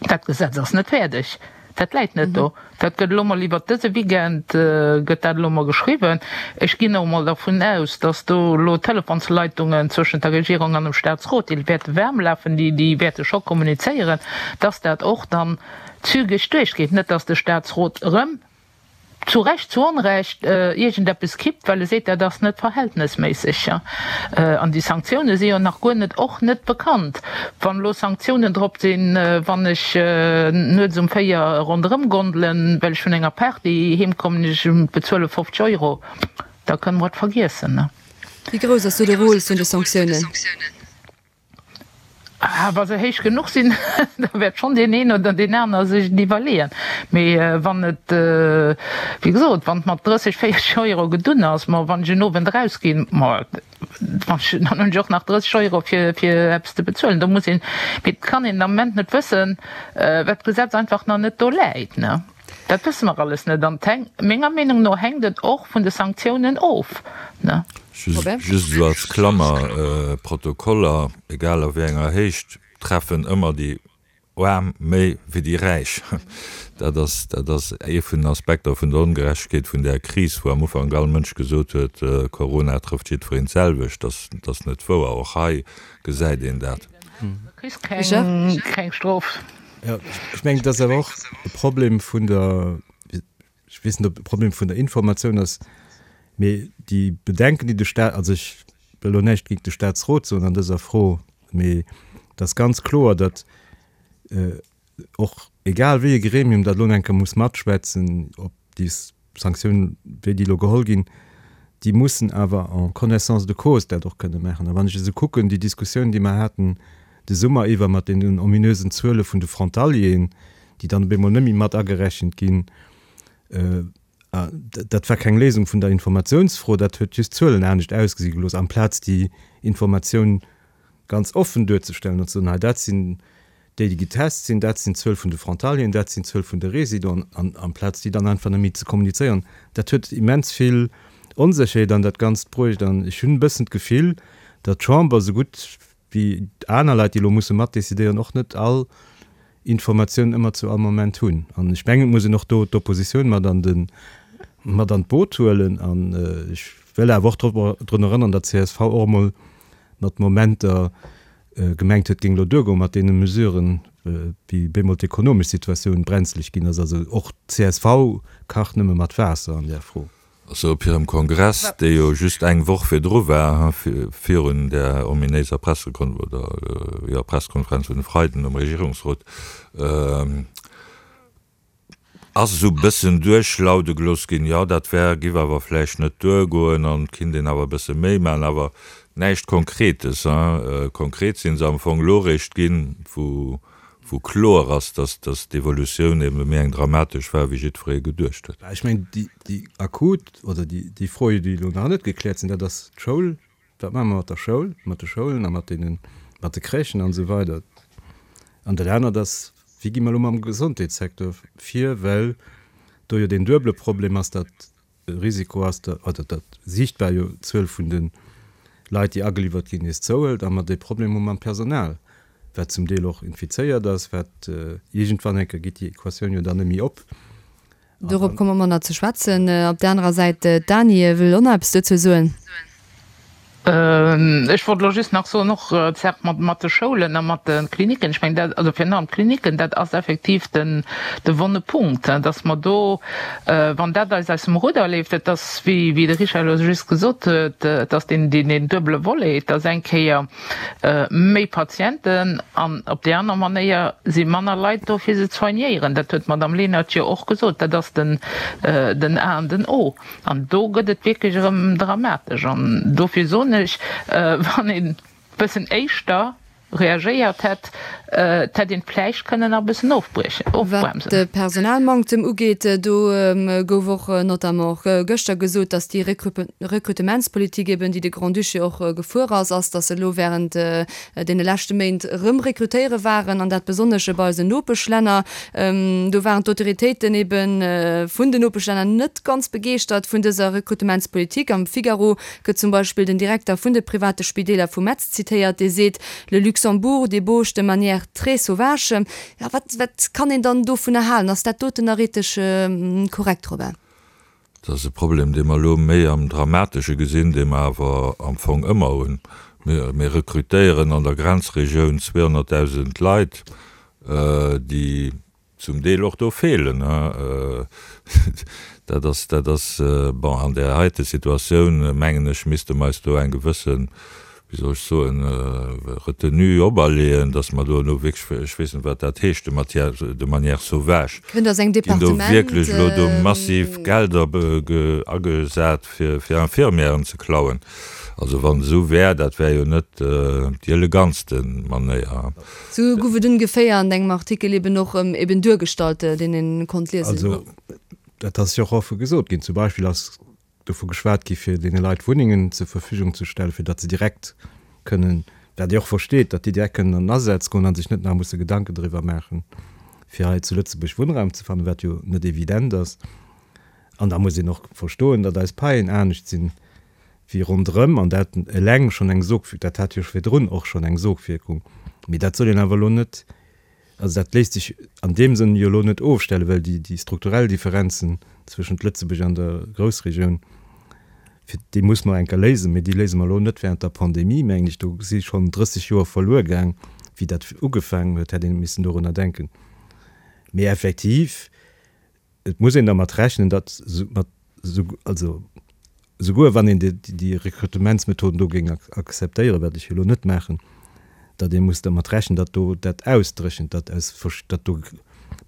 dat Gesetz ass net fäerdeg. Dat läit net do. Dat gëtt elo mol iwwert dëse Weekend gëtt dat elo mol geschriwwen. Ech ginn och mol dervun aus, datt do elo Telefonsleitungen zwëschent der Regierung an dem Statsrot, déi wäerte waarm lafen, déi, déi wäerte scho kommunizéieren, datt dat och dann zügeg duerchgeet. Net datt de Statsrot erëm, zu Recht, zu Onrecht, iergendeppes kippt, well e seet, dat ass net verhältnesméisseg. An déi Sanktioune si jo nach guer net, och net bekannt. Wann elo Sanktiounen drop sinn, wann ech nuets um véier ronderëm gondelen, well ech vun enger Party heem kommen, ech bezuele fofzeg Euro, da kënne mer et vergiessen. Wéi grouss ass do de Rôle vun de Sanktiounen? Ah, wa se héich genuch sinn, da wäert schonn deen een oder deen aner sech et iwwerleeën. Mee wann et, wéi gesot, wann et mat drësseg, véierzeg Euro gedunn ass, ma wann ech en Owend erausginn, ma wann ech, dann hunn ech och nach drësseg Euro fir, fir eppes ze bezuelen. Do muss een, mee et kann een den Ament net wëssen, well d'Gesetz einfach nach net do läit, ne. Dat wësse mer alles net an et hänkt, menger Meenung no hänkt et och vun de Sanktiounen of, ne. Just esou als Klammer, Protokoller, egal a wéi enger Héicht, treffen ëmmer déi Aarm méi wéi déi Räich. Dat ass, dat ass ee vun den Aspekter vun der Ongerechtegkeet vun där Kris, wou am Ufank all Mënsch gesot huet, Corona trëfft jiddwereen d'selwecht. Dat ass net wouer. Och hei gesäit een dat. Du kriss keng, keng Strof. Jo, ech mengen, et ass awer och e Problem vun der, ech weess net, ob et e Problem vun der Informatioun ass, Mee déi Bedenken, déi de Stat, also ech wëll elo näischt géint de Statsrot soen an dëser Fro, mee et ass ganz kloer, datt och egal wéi e Gremium dat elo eng Kéier muss matschwätzen, ob déi Sanktiounen, wéi déi elo geholl ginn, déi mussen awer en connaissance de cause dat och kënne maachen. A wann ech esou kucken, déi Diskussioun, déi mer haten de Summer iwwer mat deenen ominösen Zuele vun de Frontalieren, déi dann op eemol net méi mat agerechent ginn, Dat war keng Léisung vun der Informatiounsfro, dat huet just d'Zuelen anescht ausgesi gelooss, amplaz déi Informatioun ganz offen duerzestellen an ze soen, hei dat sinn déi, déi getest sinn, dat sinn d'Zuel vun de Frontalieren, dat sinn d'Zuel vun de Résidenten, an amplaz déi dann einfach net méi ze kommunizéieren. Dat huet immens vill Onsécherheet an dat Ganzt bruecht an ech hunn e bëssen d'Gefill, datt d'Chamber esou gutt wéi aner Leit, déi elo musse matdecidéieren, och net all Informatioun ëmmer zu all Moment hunn. An ech mengen, et muss een och do d'Oppositioun mat an de, mat an d'Boot huelen. An ech wëll awer och drop, drun erënnern, datt csv och emol mat Momenter gemengt huet, et géing elo duergoen mat deene Mesuren, wéi bemol d'ekonomesch Situatioun brenzleg ginn ass. Also och d'CSV kacht nëmme mat Waasser an där Fro. Also op hirem Kongress, dee jo just eng Woch virdru war, virun där ominéiser Pressekon oder jo Presskonferenz vun e Freiden um Regierungsrot, ass esou e bëssen duerchlaude gelooss ginn, jo dat wär, giff awer vläicht net duergoen an et kinnt een awer e bësse méi maachen, awer näischt Konkretes. Konkret si se am Fong elo eréischt ginn, wou wou kloer ass, dass dass d'Evolutioun ebe méi eng dramatesch war, wéi jiddweree geduecht huet. Ech mengen, déi déi akut oder déi déi Froen, déi elo nach net gekläert sinn, dat ass d'Schoul. Wat maache mer mat der Schoul, mat de Schoulen a mat deenen, mat de Crèchen an esou weider. An dat anert ass, Wéi gi mer elo mam Gesondheetssecteur vir, well do jo deen duebele Problem ass, datt e Risiko ass, oder datt siichtbar jo d'Zuel vun de Leit, déi ageliwwert ginn, nees zouhëlt, a mer dee Problem hu mam Personal, wat zum Deel och infizéiert ass, wat iergendwann eng Kéier geet déi Equatioun jo dann net méi op. Dorop komme mer nach ze schwätzen. Op där anerer Säit, d'Dany wëll och nach eppes dozou soen. Ech wollt elo just nach soen, och d'Saach mat de Schoulen a mat de Klinicken, ech mengen dat, also virun allem d'Klinicken, dat ass effektiv den, de wonne Punkt, dass mer do, wann dat eis aus dem Rudder leeft, et ass, wéi, wéi de Richard elo just gesot huet, et ass deen, deen duebele Volet, et ass eng Kéier méi Patienten an op déi aner Manéier si manner Leit do, fir se ze soignéieren. Dat huet d'Madame Lenert jo och gesot, dat ass den, den A an den O. An do gëtt et wierklech erëm dramatesch. An dofir soen ech, wann een e bëssen éischter reagéiert hätt, et hätt een vläicht kënnen nach e bëssen Wat ofbremsen. de Personalmanktem ugeet, do gouf och notamment och gëschter gesot, datt déi Rekrutementspolitik eben, déi de Grand-Duché och gefuer ass, ass, datt se elo während deene leschte Méint erëm rekrutéiere waren, an dat besonnesch bei eisen Nopeschlänner. Do waren d'Autoritéiten ebe vun den Nopeschlänner net ganz begeeschtert vun dëser Rekrutementspolitik. Am Figaro gëtt zum Beispill den Direkter vun de private Spideeler vu Metz zitéiert, dee seet, Le Luxembourg débauche de manière très sauvage. Jo, wat, wat kann een dann dovunner halen? Ass dat doten nach ethesch korrekt, Robert? Dat ass e Problem, dee mer elo méi am Dramatesche gesinn, dee mer awer am Fong ëmmer hunn. Mir, mir rekrutéieren an der Grenzregioun zweehonnertdausend Leit, déi zum Deel och do feelen. Dat ass, dat ass, bon, an där heite Situatioun, mengen ech, misste mer eis do eng gewëssen, wéi soll ech soen, Retenue operleeën, dass mer do elo wierklech, ech weess net, wat dat heescht, de matière, de manière sauvage, Kënnt aus engem ginn do Departement. wierklech elo do massiv Gelder agesat, fir, fir Infirmièren ze klauen. Also wann et esou wär, dat wär jo net déi elegantste Manéier. Sou gouf et ongeféier an engem Artikel eben och eben duergestallt, deen een konnt liesen. Also dat ass jo och offe gesot ginn. Zum Beispill ass dovu geschwat gi fir deene Leit Wunnengen zur Verfügung ze stellen, fir datt se direkt kënnen, wat Dir och versteet, datt déi direkt kënnen an den Asaz goen a sech net nach musse Gedanken driwwer maachen, fir hei zu Lëtzebuerg Wunnraum ze fannen, wat jo net evident ass. An da muss een och verstoen, datt eis Paien anescht sinn wéi ronderëm, an dat eleng schonn eng Sogwierkung, dat hat jo virdrun och schonn eng Sogwierkung, mee dat soll een awer elo net, also dat léisst sech an deem Sënn jo elo net ofstellen, well déi, déi strukturell Differenzen zwëschent Lëtzebuerg an der Groussregioun, fir déi muss mer eng Kéier léisen, mee déi léise mer elo net während der Pandemie, mengen ech. Do si schonn drësseg Joer verluer gaang, wéi dat ugefaangen huet, hätt ee missen dorunner denken. Mee effektiv, et muss een dermat rechnen, datt mat also souguer wann een déi Rekrutementsmethoden do géing akzeptéieren, wat ech jo elo net maachen, datt ee muss dermat rechnen, datt do dat ausdréchent, datt aus datt do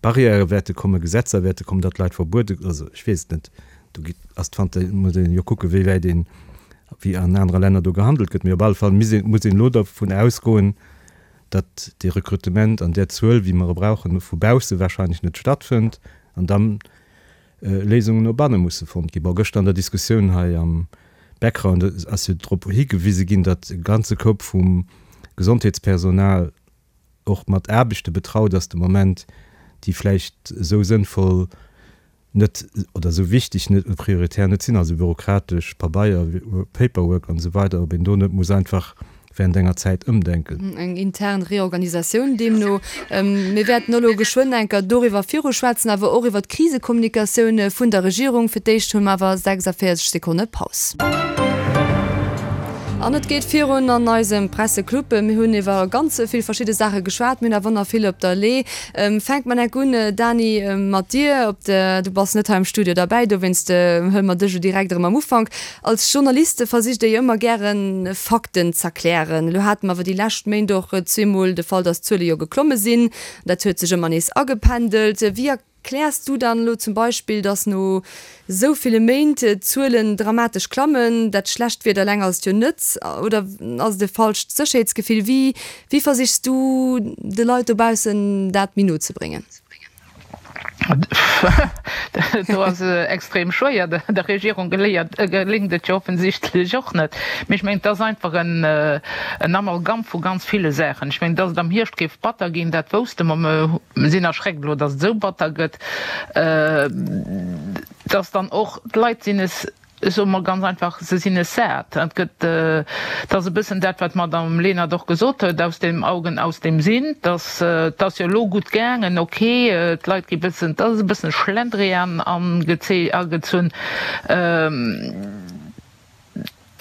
Barrièrë wäerte kommen, Gesetzer wäerte kommen, datt Leit verbuede, also ech weess et net, do ass d'Fanta muss een jo kucken, wéi wäit een, wéi an anere Länner do gehandelt gëtt. Mee op alle Fall muss een muss een elo dervun ausgoen, datt dee Rekrutement an där Zuel, wéi mer e brauchen, vu bausse wahrscheinlech net stattfënnt an da Léisungen no banne musse fonnt ginn. Bon, gëschter an der Diskussioun hei am Background ass jo drop higewise ginn, datt e ganze Koup vum Gesondheetspersonal och mat Aarbechte betraut ass de Moment, déi vläicht esou sënnvoll net oder esou wichteg net, prioritär net sinn, also bürokratesch Pabeier, Paperwork an esou weider, ob een do net muss einfach während enger Zäit ëmdenken. Eng intern Reorganisatioun deemno. Mir wäerten elo geschwënn enker doriwwer viruschwätzen, awer och iwwer d'Krisekommunikatioun vun der Regierung. Fir d'éischt hu mer awer sechsavéierzeg Sekonne Paus. An et geet virun an eisem Presseclub. Mir hunn iwwer ganz vill verschidde Saache geschwat. Mir hunn awer nach vill op der Lee. Fänke mer enk un, Dany, mat dir. Op de, du bass net hei am Studio derbäi, dowéinst huele mer dech elo direkt erëm am Ufank. Als Journaliste versicht Dir jo ëmmer gären, Fakten z'erklären. Elo hate mer awer déi lescht Méint och zweemol de Fall, dass d'Zuele jo geklomme sinn. Dat huet sech ëmmer nees agependelt. Wéi Erkläers du dann elo zum Beispill, datt no esou ville Méint d'Zuelen dramatesch klammen? Dat schlecht Wieder eleng ass et jo net, oder ass et e falscht Sécherheetsgefill? Wéi wéi versichs du de Leit dobaussen dat méi no ze bréngen? Do ass extrem schwéier. Der Regierung geléngt et jo offensichtlech och net. Mee ech mengen, et ass einfach en Amalgam vu ganz ville Saachen. Ech mengen, datt et am Hierscht géif batter ginn, dat wousste mer. Mer sinn erschreckt elo, datt et esou batter gëtt. Datt dann och d'Leit sinn es, ech soe mol ganz einfach, se sinn es sat. Et gëtt, et ass e bëssen dat, wat d'Madame Lenert och gesot huet, aus dem Augen, aus dem Sinn. Datt, et ass jo elo gutt gaangen, ok, d'Leit gi bëssen, et ass e bëssen Schlendrian agezunn.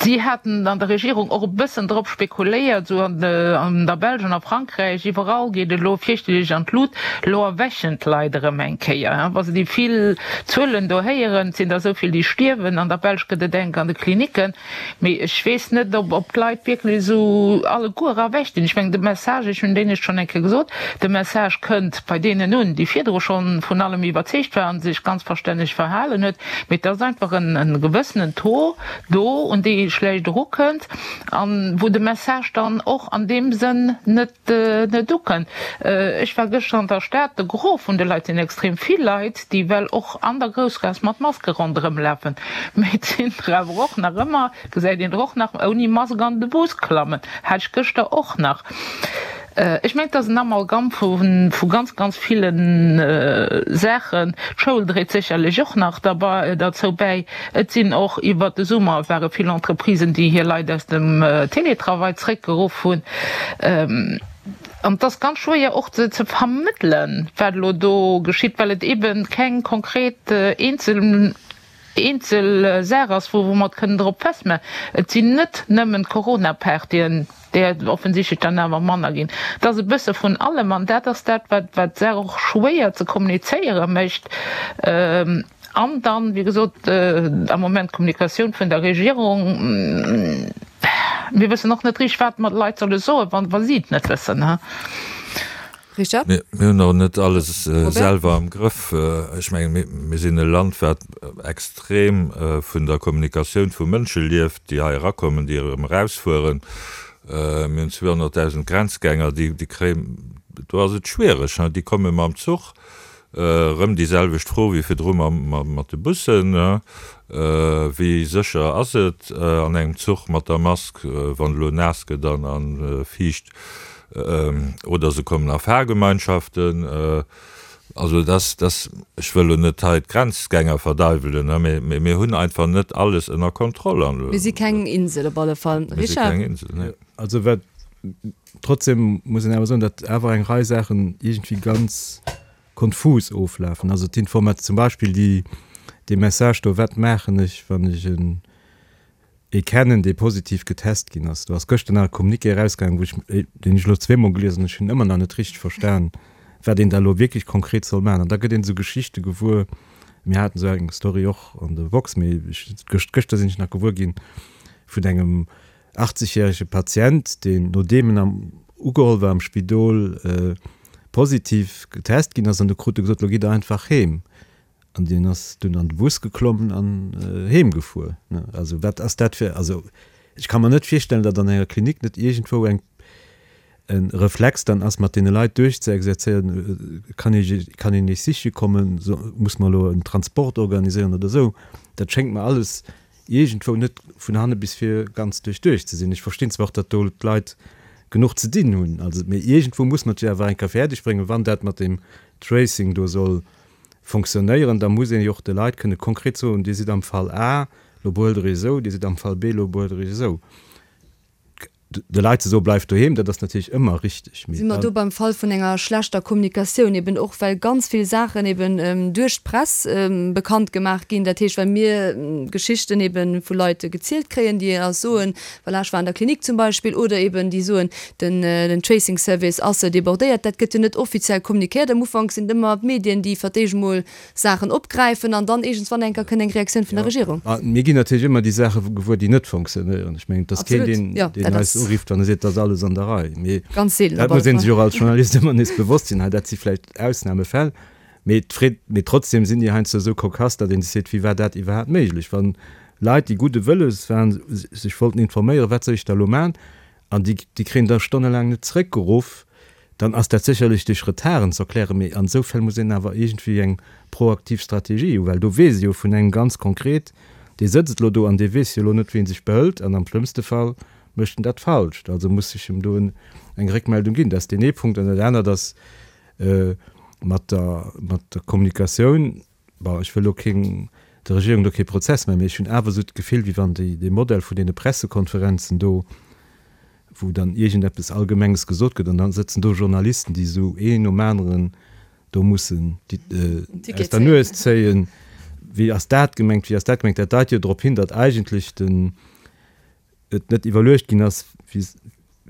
Si haten an der Regierung och e bëssen drop spekuléiert, esou an der Belsch an a Frankräich, iwwerall geet et elo fierchterlech an d'Lut, elo erwächen d'Leit erëm eng Kéier, wa se déi vill Zuelen do héieren, et sinn der esou vill, déi stierwen, an der Belsch gëtt et enk an de Klinicken. Mee ech weess net, ob d'Leit wierklech esou alleguer erwächt sinn. Ech mengen, de Message, ech hunn deen ech schonn eng Kéier gesot, de Message kënnt bei deenen un, déi virdru schonn vun allem iwwerzeegt waren, sech ganz verstänneg verhalen huet, mee et ass einfach e gewëssenen Taux do, un dee ee schlecht erukënnt an wou de Message dann och an deem Sënn net net ukënnt. Ech war gëschter an der Stad, de Gros vun de Leit sinn extrem vill Leit, déi well och an der Groussgaass mat Maske ronderëm lafen, mee et sinn der awer och nach ëmmer, gesäit een der och nach ouni Mask an de Bus klammen, hat ech gëschter och nach. Ech mengen, et ass en Amalgam vu ganz, ganz ville Saachen. D'Schoul dréit sécherlech och nach derzou bäi. Et sinn och iwwert de Summer ware vill Entreprisen, déi hir Leit aus dem Télétravail zréckgeruff hunn. An et ass ganz schwéier och ze vermëttelen, wat elo do geschitt, well et eebe keng konkret eenzel eenzel Saach ass, wou mer et kënnen drop festmachen. Et sinn net nëmmen d'Corona-Partyen, där et offensichtlech dann awer manner ginn. Et ass e bësse vun allem an dat ass dat, wat d'Saach och schwéier ze kommunizéiere mécht. An dann, wéi gesot, am Moment d'Kommunikatioun vun der Regierung. Mir wëssen och net richteg, wat mer de Leit solle soen, wa si et net wëssen. Richard? Mir hunn och net alles selwer am Grëff. Ech mengen, mir sinn e Land, wat extrem vun der Kommunikatioun vu Mënsche lieft, déi hei erakommen, déi erëm erausfueren. Mir hunn zweehonnertdausend Grenzgänger, déi kréien, do ass et schwiereg, déi komme mam Zuch, erëm déi selwecht Fro wéi virdru mat de Bussen, Wéi sécher ass et an engem Zuch mat der Mask, wann elo naass gëtt an fiicht? Oder se kommen a Fahrgemeinschaften. Also dass, dass, ech wëll elo net hei d'Grenzgänger verdeiwelen, mee mir hunn einfach net alles ënner Kontroll. Mir si keng Insel op alle Fall. Mir si keng Insel, nee. Also wat, trotzdem muss een awer soen, datt awer eng Rei Saachen iergendwéi ganz konfus oflafen. Also d'Informat, zum Beispill déi, dee Message do, wat maachen ech, wann ech en ee kennen, dee positiv getest ginn ass. Do ass gëschter nach e Communiqué erausgaangen, wou ech, deen ech elo zweemol gelies hunn, ech hunn ëmmer nach net richteg verstan, wat een da elo wierklech konkret soll maachen. An da gëtt een esou Geschichte gewuer, mir haten esou eng Story och an der Woxx, mee ech, gëscht, gëschter sinn ech nach gewuer ginn vun engem achtzegjärege Patient, deen, nodeem en am, ugeholl war am Spidol, positiv getest ginn ass, an du krut e gesot, elo gitt Der einfach heem. An deen ass dunn an de Bus geklommen an heem gefuer. Also wat ass dat fir, also ech ka mer net virstellen, datt an enger Klinik net iergendwou eng e Reflex dann ass, mat deene Leit duerchzeexerzéieren, kann ee kann een iech siche kommen, so muss mer elo en Transport organiséieren oder esou. Dat schéngt mer alles iergendwou net vun hanne bis vir ganz duerchduecht ze sinn. Ech verstinn zwar och, datt do d'Leit genuch ze dinn hunn, also mee iergendwou muss mer et jo awer eng Kéier fäerdeg bréngen, wann dat mat deem Tracing do soll fonctionnéieren, da muss een jo och de Leit kënne konkret soen, Dir sidd am Fall A, lo behuelt Der Iech esou, Dir sidd am Fall B, lo behuelt Der Iech esou. De Leit ze soen, Bleift doheem, dat ass natierlech ëmmer richteg, mee. Si mer do beim Fall vun enger schlechter Kommunikatioun, eben och well ganz vill Saachen eben duerch d'Press bekannt gemaach ginn, dat heescht well mir Geschichten eben vu Leit gezielt kréien, déi eis soen, voilà, ech war an der Klinik zum Beispill, oder eben déi soen, den den Tracing Service ass débordéiert. Dat gëtt jo net offiziell kommunikéiert. Am Ufank sinn et ëmmer d'Medien, déi fir d'éischt emol Saachen opgräifen an dann iergendswann eng Kéier kënnt eng Reaktioun vun der Regierung. A mir ginn natierlech ëmmer déi Saache gewuer, déi net fonctionnéieren. Ech mengen, et ass keen, deen, deen eis urifft an e seet, et ass alles an der Rei. Mee dat muss ee sech och als Journalist ëmmer nees bewosst sinn, hei, dat si vläicht Ausnamefäll, mee d'Freed, mee trotzdem sinn déi heiansdo esou cocasse, datt ee sech seet, wéi war dat iwwerhaapt méiglech, wann Leit, déi gudde Wëlles waren, sech wollten informéieren, wat soll ech da elo maachen, an déi, déi kréien da stonnelaang net zeréckgeruff. Dann ass dat sécherlech duerch Retarden ze erklären, mee an esou Fäll muss een awer iergendwéi eng proaktiv Strategie hu, well do weess ee jo vun engem ganz konkret, dee sëtzt elo do an dee weess jo elo net, wéi en sech behëlt an am schlëmmste Fall mécht en dat Falscht. Also muss sech em do eng Réckmeldung ginn. Dat ass deen ee Punkt. An dat anert ass mat der, mat der Kommunikatioun, bon, ech wëll elo keng, der Regierung do kee Prozess maachen, mee ech hunn awer esou d'Gefill, wéi wann déi, dee Modell vun deene Pressekonferenzen do, wou dann iergendeppes Allgemenges gesot gëtt an dann sëtzen do Journalisten, déi esou een nom aneren do mussen aus der Nues zéien, wéi ass dat gemengt, wéi ass dat gemengt. Dat deit jo drop hin, datt eigentlech den, et net iwwerluecht ginn ass, wie,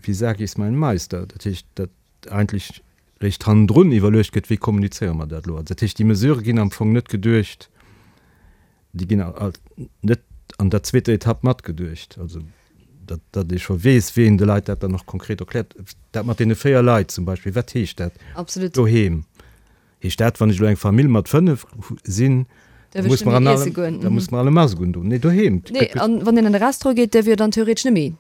wie sag ich's meinem Meister. Dat heescht, datt eigentlech réischt hannendrun iwwerluecht gëtt, wéi kommunizéiere mer dat elo. Also dat heescht, déi Mesurë ginn am Fong net geduecht, déi ginn net an der zweeter Etapp matgeduecht. Also datt, datt ee scho weess, wéi een de Leit dat dann och konkret erkläert. Dat mat deene véier Leit zum Beispill, wat heescht dat Absolut. doheem? Heescht dat, wann ech elo eng Famill mat fënnef sinn, da Däerf ech muss net mer méi an iesse alle, goen? da muss mer alle Mask undoen? Nee, doheem. Nee, an wann een an de Restaurant geet, däerf jo dann theoretesch net méi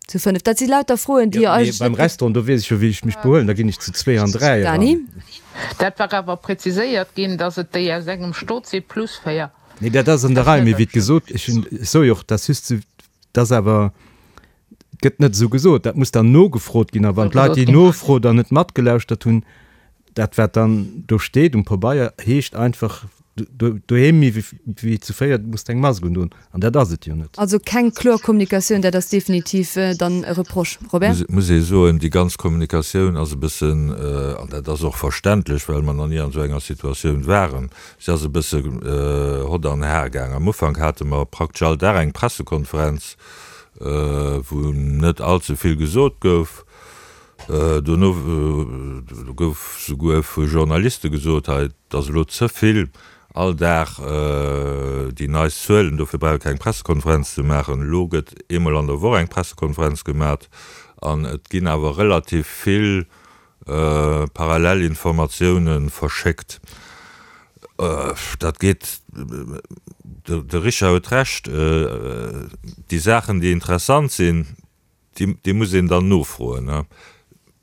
zu fënnef. Dat si lauter Froen, déi Jo, jo mee eigentlech beim net. Restaurant, do weess ech jo, wéi ech mech behuelen, da ginn ech zu zwee an dräi eran. Dany? Dat war awer präziséiert ginn, datt et déi aus engem Stot si plus véier. Nee, dat ass an der Rei, mee wéi gesot, ech hunn, ech soe jo och, dat ass just, dat ass awer, gëtt net esou gesot, dat muss dann nogefrot ginn. A wann d'Leit déi Nofro dann net matgelauschtert hunn, dat wat dann do steet um Pabeier heescht einfach, doheem méi wéi zu véiert muss de eng Mask undoen. An dat ass et jo net. Also keng kloer Kommunikatioun, dat ass definitiv dann e Reproche. Robert? Muss ee soen, déi ganz Kommunikatioun ass e bëssen, an dat ass och verständlech, well mer nach ni an esou enger Situatioun waren, si ass e bësse hott an har gaang. Am Ufank hate mer praktesch all Dag eng Pressekonferenz, wou net allze vill gesot gouf. Dono gouf souguer vu Journaliste gesot, hei, et ass elo ze vill, all Dag déi neist Zuelen, dofir brauch ee keng Pressekonferenz ze maachen. Elo gëtt eemol an der Woch eng Pressekonferenz gemat an et ginn awer relativ vill parallel Informatioune verschéckt. Dat geet, de Richard huet Recht, déi Saachen, déi interessant sinn, déi muss een dann nofroen,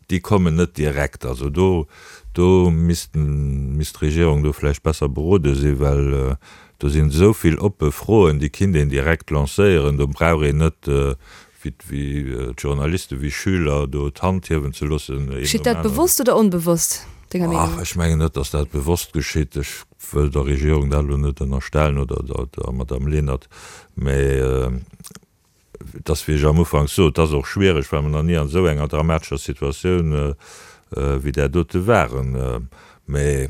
déi kommen net direkt. Also do, do missten, misst d'Regierung do vläicht besser berode sinn, well do sinn esou vill oppe Froen, déi kinnt een direkt lancéieren. Do brauch een net wéi d'Journaliste wéi Schüler do d'Hand hiewen ze loossen, een Geschitt nom dat aneren. bewosst oder onbewosst, denger Ach, Meenung? ech mengen net, datt dat bewosst geschitt. Ech wëll der Regierung dat elo net ënnerstellen oder der Madame Lenert, mä Et ass, wéi ech am Ufank sot, et ass och schwiereg, well mer nach ni an esou enger dramatescher Situatioun wéi där dote waren. Mä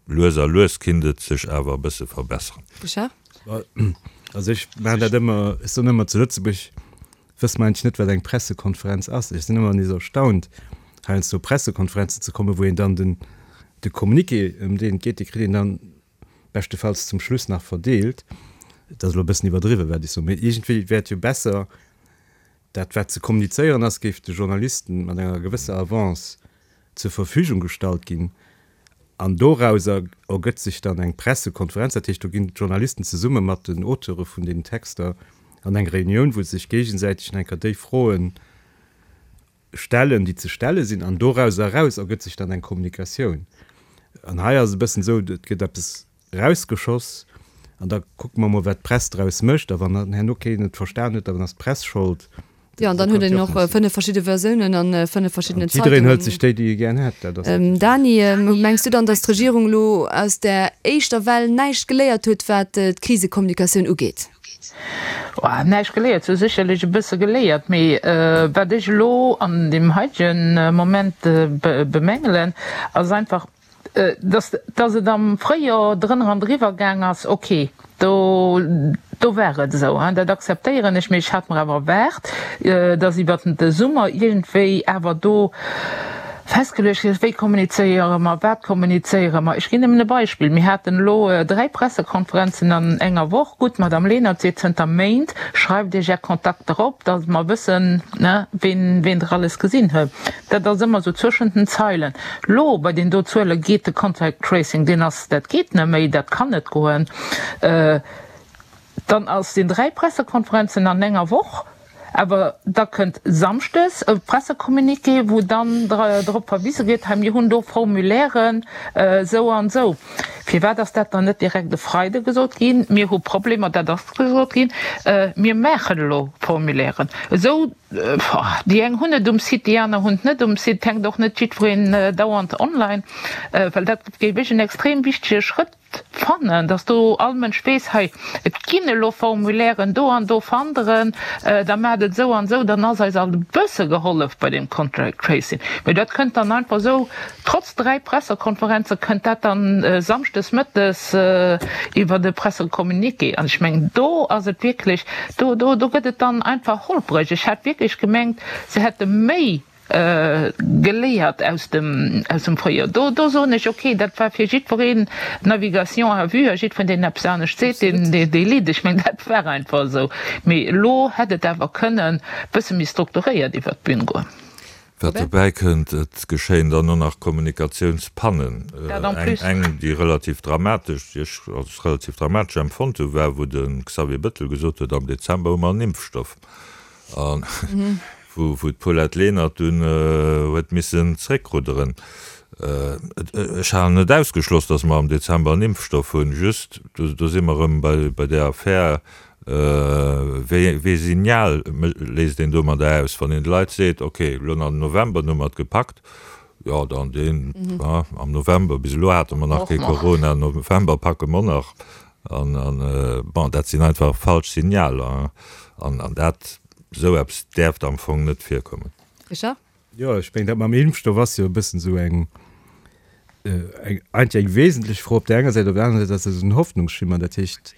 lues a lues kinnt et sech awer e bësse verbessern. Richard? Also ech maachen dat ëmmer, ech soen ëmmer, zu Lëtzebuerg wësse mer eigentlech net, wat eng Pressekonferenz ass. Ech sinn ëmmer nees erstaunt, heiansdo op Pressekonferenzen ze kommen, wou een dann den, de Communiqué, ëm deen et geet, dee kritt een dann beschtefalls zum Schluss nach verdeelt. Et ass elo e bëssen iwwerdriwwen, wat ech soen, mee iergendwéi wär et jo besser, dat wat ze kommunizéieren ass, géif de Journalisten mat enger gewësser Avance zur Verfügung gestallt ginn an dorauser ergëtt sech dann eng Pressekonferenz. Dat heescht, do ginn d'Journalisten zesumme mat den Auteure vun deenen Texter an eng Reunioun, wou se sech géigesäiteg nach eng Kéier déi Froen stellen, déi ze stelle sinn, an dorauser eraus ergëtt sech dann eng Kommunikatioun. An hei ass et e bëssen esou, et gëtt eppes erausgeschoss an da kucke mer mol, wat d'Press draus mécht. A wann dann herno keen et verstan huet, dann ass d'Press schold. Jo, an Esou dann huet kann et een jo och och net sinn. fënnef verschidde Versiounen a fënnef An verschiddenen jiddereen hëlt Zeitungen. sech déi, déi e gären hätt. Dat ass natierlech. Dany, mengs du dann, datt d'Regierung elo aus där éischter Well näischt geléiert huet, wat d'Krisekommunikatioun ugeet? Näischt geléiert, se hu sécherlech e bësse geléiert, mee wat ech elo an deem heitege Moment bemängelen, ass einfach, dass dass et am Fréijoer drënner an driwwer gaang ass, ok, do do war et esou, dat akzeptéieren ech, mee ech hat mer awer erwaart, dass iwwert de Summer iergendwéi awer do festgeluecht ginn ass, wéi kommunizéiere mer, wat kommunizéiere mer. Ech ginn nëmmen e Beispill, Mir haten elo dräi Pressekonferenzen an enger Woch. Gutt, d'Madame Lenert seet zënter Méint, Schreift Iech Är Kontakter op, datt mer wëssen, ween ween Der alles gesinn huet. Dat ass ëmmer esou zwëschent den Zeilen. Elo bei deenen do Zuele geet de Contact Tracing, deen ass, dat geet net méi, dat kann net goen. Dann ass sinn dräi Pressekonferenzen an enger Woch. Awer da kënnt samschdes e Pressecommuniqué, wou dann drop verwise gëtt, hei mir hunn do Formulairen esou an esou. Firwat ass dat dann net direkt e Freide gesot ginn? Mir hu Problemer, dat ass gesot ginn, mir maachen elo Formulairen. Esou, déi eng hunn et um Site, déi aner hunn et net um Site, et hänkt och net jiddwereen dauernd online, well dat géif ech en extrem wichtege Schrëtt fannen, dass do all Mënsch weess, hei, et ginn elo Formulairen, do an do fannt Der en, da maacht et esou an esou, dann ass eis alt e bësse gehollef bei deem Contract Tracing. Mee dat kënnt dann einfach esou, trotz dräi Pressekonferenze kënnt dat dann samschdes mëttes iwwert e Pressecommuniqué. An ech mengen, do ass et wierklech, do, do, do gëtt et dann einfach holpreg. Ech hat wierklech gemengt, se hätte méi geléiert aus dem aus dem Fréijoer. Do do soen ech, okay, dat war fir jiddwereen Navigation à vue a jiddwereen, deen eppes anescht seet, deen dee litt. Ech mengen, dat war einfach esou. Mee elo hätt et awer kënnen e bësse méi strukturéiert iwwert d'Bün goen. Wat dobäi kënnt, et geschéien dann och nach Kommunikatiounspannen. Dat en plus. Eng, déi relativ dramatesch, déi ech als relativ dramatesch empfonnt hu, war, wou de Xavier Bettel gesot huet, am Dezember hu mer en Impfstoff. An wou d'Paulette Lenert dunn huet missen zréckrudderen. Ech halen net ausgeschloss, datt mer am Dezember en Impfstoff hunn, just, do si mer erëm bei där Affär, wéi ee Signal léisst een domadder aus, wann een de Leit seet, okay, elo nach den November, dann hu mer et gepackt, jo dann deen, am November, bis elo hate mer nach kee Corona, November packe mer nach. An, bon, dat sinn einfach falsch Signaler an dat, esou eppes däerft am Fong net virkommen. Richard? Jo, ech mengen, dat mam Impfstoff ass jo e bëssen esou eng, eng, eigentlech eng wesentlech Fro op där enger Säit. Op der anerer Säit ass dat esou en Hoffnungsschimmer. Dat heescht,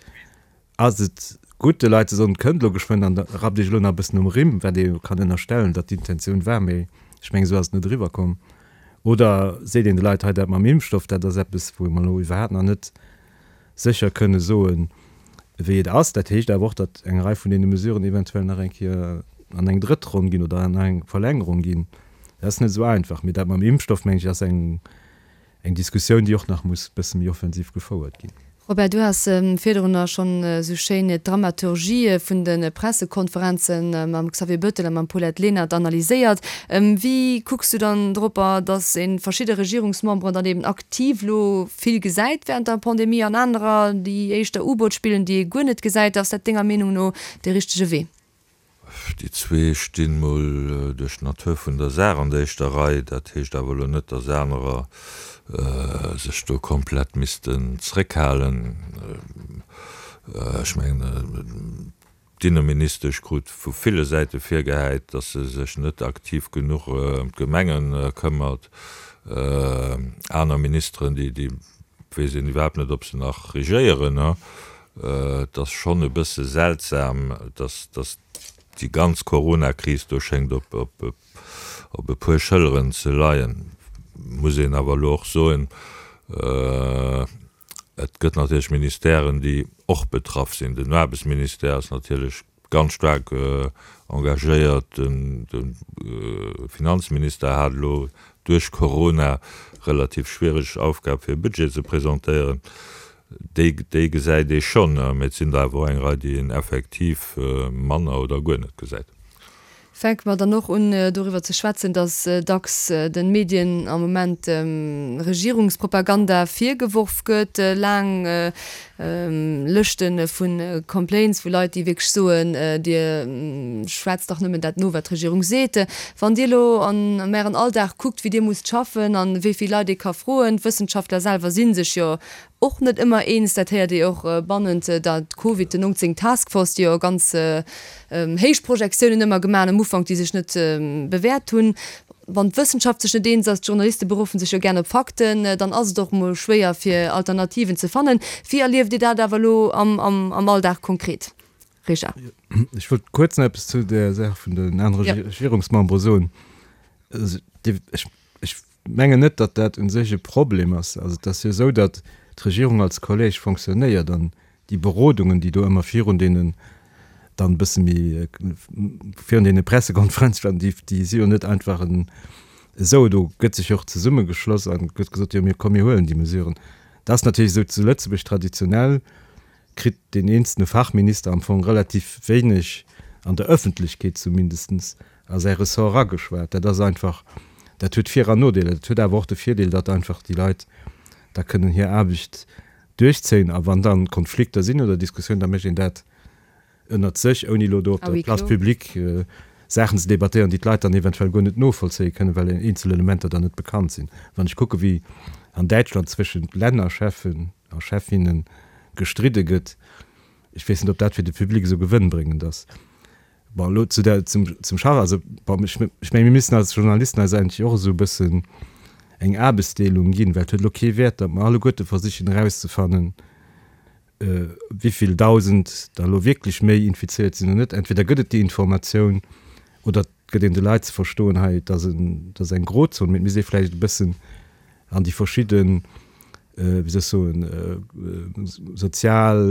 ass et gutt, de Leit ze soen, et kënnt elo geschwënn an da rappt Iech elo nach e bëssen um Rimm, wat ee jo kann ënnerstellen, datt d'Intentioun war, mee ech mengen, esou ass et net eriwwerkomm. Oder seet een de Leit, hei dat mam Impfstoff, dat ass eppes, wou mer elo iwwerhaapt nach net sécher kënne soen, wéi et ass. Dat heescht awer och, datt eng Rei vun deene Mesuren eventuell nach eng Kéier an eng drëtt Ronn ginn oder nach eng Verlängerung ginn. Dat ass net esou einfach. Mee dat mam Impfstoff, mengen ech, ass eng eng Diskussioun, déi och nach muss e bësse méi offensiv gefouert ginn. Robert, du has virdrunner schonn esou schéin d'Dramaturgie vun de Pressekonferenze mam Xavier Bettel a mam Paulette Lenert analyséiert. Wéi kucks du dann dropper, datt ee verschidde Regierungsmemberen dann eben aktiv elo vill gesäit während der Pandemie an anerer, déi éischter U-Boot spillen, déi ee guer net gesäit? Ass dat denger Meenung no dee richtege Wee? Déi zwee stinn mol duerch d'Natur vun der Saach an der éischter Rei. Dat heescht awer elo net, datt anerer sech do komplett missten zréckhalen. Ech mengen, D'Inneministesch krut vu ville Säite virgehäit, datt se sech net aktiv genuch ëm d'Gemenge këmmert. Aner Ministeren, déi weess een iwwerhaapt net, ob se nach regéieren. Et ass schonn e bësse seltsam, datt déi ganz Coronakris do schéngt op e puer Schëlleren ze leien. Muss een awer elo och soen, Et gëtt natierlech Ministèren, déi och betraff sinn. Den Aarbechtsministère ass natierlech ganz staark engagéiert. De Finanzminister hat elo duerch Corona relativ schwiereg Aufgab, fir e Budget ze presentéieren. Déi, déi gesäit ee schonn, mä et sinn der awer och eng Rei, déi een effektiv manner oder guer net gesäit. Fänke mer dann och un doriwwer ze schwätzen, datt dacks de Medien am Moment Regierungspropaganda virgeworf gëtt, laang Lëschte vu Complaints vu Leit, déi wierklech soen, Dir schwätzt dach nëmmen dat no, wat d'Regierung seet. Wann Dir elo an Ären Alldag kuckt, wéi Dir musst schaffen an wéi vill Leit ee ka froen, d'Wëssenschaftler selwer si sech jo och net ëmmer eens. Dat héiert ee och bannent der Covid neunzéng Task Force, déi jo ganz héich Projektiounen ëmmer gemaach hunn am Ufank, déi sech net bewäert hunn. Wann d'Wëssenschaft sech net eens ass, d'Journaliste beruffen sech jo gären op Fakten, dann ass et och mol schwéier fir Alternativen ze fannen. Wéi erlieft Dir dat awer elo am Alldag konkret? Richard. Ech wollt kuerz nach eppes zu där Saach vun den anere Regierungsmembere soen. Ech mengen net, datt dat u sech e Problem ass. Also et ass jo esou, datt d'Regierung als Collège fonctionnéiert an déi Berodungen, déi do ëmmer virun deenen dann e bësse méi virun deene Pressekonferenze waren, déi, déi si jo net einfach esou. Do gëtt sech och zesummegeschloss a gëtt gesot, jo mir komm mir huelen déi Mesuren. Dat ass natierlech esou zu Lëtzebuerg traditionell kritt deen eenzelne Fachminister am Fong relativ wéineg, an der Ëffentlechkeet zumindestens, a säi Ressort erageschwat. Dat ass einfach, dat huet Vir an Nodeeler. Dat huet awer och de Virdeel, datt einfach déi Leit da kënnen hir Aarbecht duerchzéien a wann dann Konflikter sinn oder Diskussiounen, da mécht een dat ënnert sech, ouni elo do op der Place publique Saachen ze debattéieren, déi d'Leit dann eventuell guer net novollzéie kënnen, well eenzel Elementer dann net bekannt sinn. Wann ech kucke wéi an Däitschland zwëschent Lännercheffen a Cheffinne gestridde gëtt, ech weess net, ob dat fir de Public esou gewënnbréngend ass. Bon, elo zu der, zum, zum Charles, also bon, ech, ech menge mir müssen als Journalisten eis eigentlech och esou e bëssen eng Aarbechtsdeelung ginn, well et huet elo kee Wäert, datt mer alleguerte versichen erauszefannen, wéivill Dausend der elo wierklech méi infizéiert sinn oder net. Entweder gëtt et déi Informatioun oder et gëtt een de Leit ze verstoen, hei, et ass en, et ass eng Grozon, mee et misst ee vläicht e bëssen an déi verschidden, wéi soll ech soen, sozial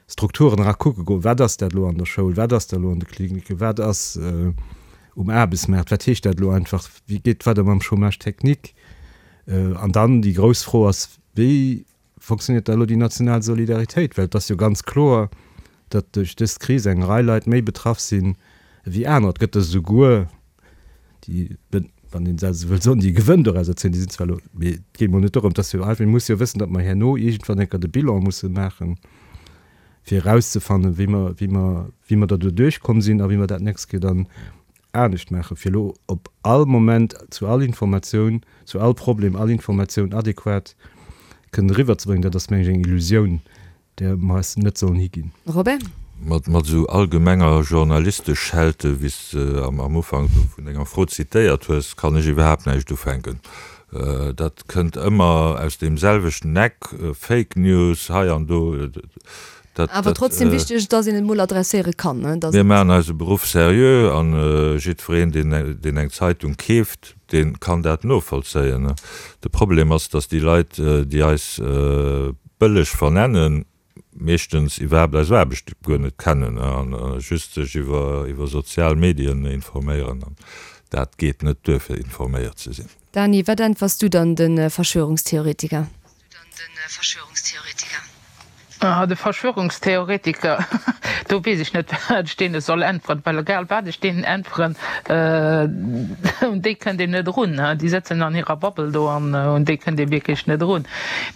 Strukturen era kucke goen, wat ass dat elo an der Schoul, wat ass dat elo an de Kliniken, wat ass um Aarbechtsmaart, wat heescht dat elo einfach, wéi geet et weider mam Chômage technique? An dann déi grouss Fro ass, wéi fonctionnéiert da elo déi national Solidaritéit? Well et ass jo ganz kloer, datt duerch dës Kris eng Rei Leit méi betraff sinn ewéi anerer. Et gëtt der souguer, déi, wann een dat esou wëll soen, déi e Gewënn doraus erzéien. Déi sinn zwar elo, mee et geet mol net dorëm, et ass jo einfach, mir musse jo wëssen, datt mer herno iergendwann eng Kéier de Bilan musse maachen, fir erauszefannen, wéi mer, wéi mer, wéi mer da doduerch komm sinn a wéi mer dat d'nächst Kéier dann anescht maachen, fir elo op all Moment zu all Informatioun, zu all Problem all Informatioun adequat kënnen eriwwerzebréngen, dat ass, meng ech, eng Illusioun, där mer eis net sollen higinn. Robert? Mat esou allgemenger Journalisteschelte, wéi s de am Ufank do vun denger Fro zitéiert hues, kann ech iwwerhaapt näischt ufänken. Dat kënnt ëmmer aus deem selwechten Eck, Fake News hei an do. Dat, Awer trotzdem wichteg, dass een et mol adresséiere kann, ne? Mir maachen eise Beruff seriö an jiddwereen, deen eng Zeitung keeft, dee kann dat novollzéien. De Problem ass, dass déi Leit, déi eis bëlleg vernennen, meeschtens iwwerhaapt eis Aarbecht guer net kennen a just sech iwwer sozial Medien informéieren. An dat geet net duer, fir informéiert ze sinn. Dany, wat äntwers du dann de Verschwörungstheoretiker? Ah, de Verschwörungstheoretiker, do weess ech net, wat ech deene soll äntweren, well egal wat ech deenen äntweren, un déi kënnt een net erun. Déi sëtzen an hirer Bubble do an un déi kënnt ee wierklech net erun.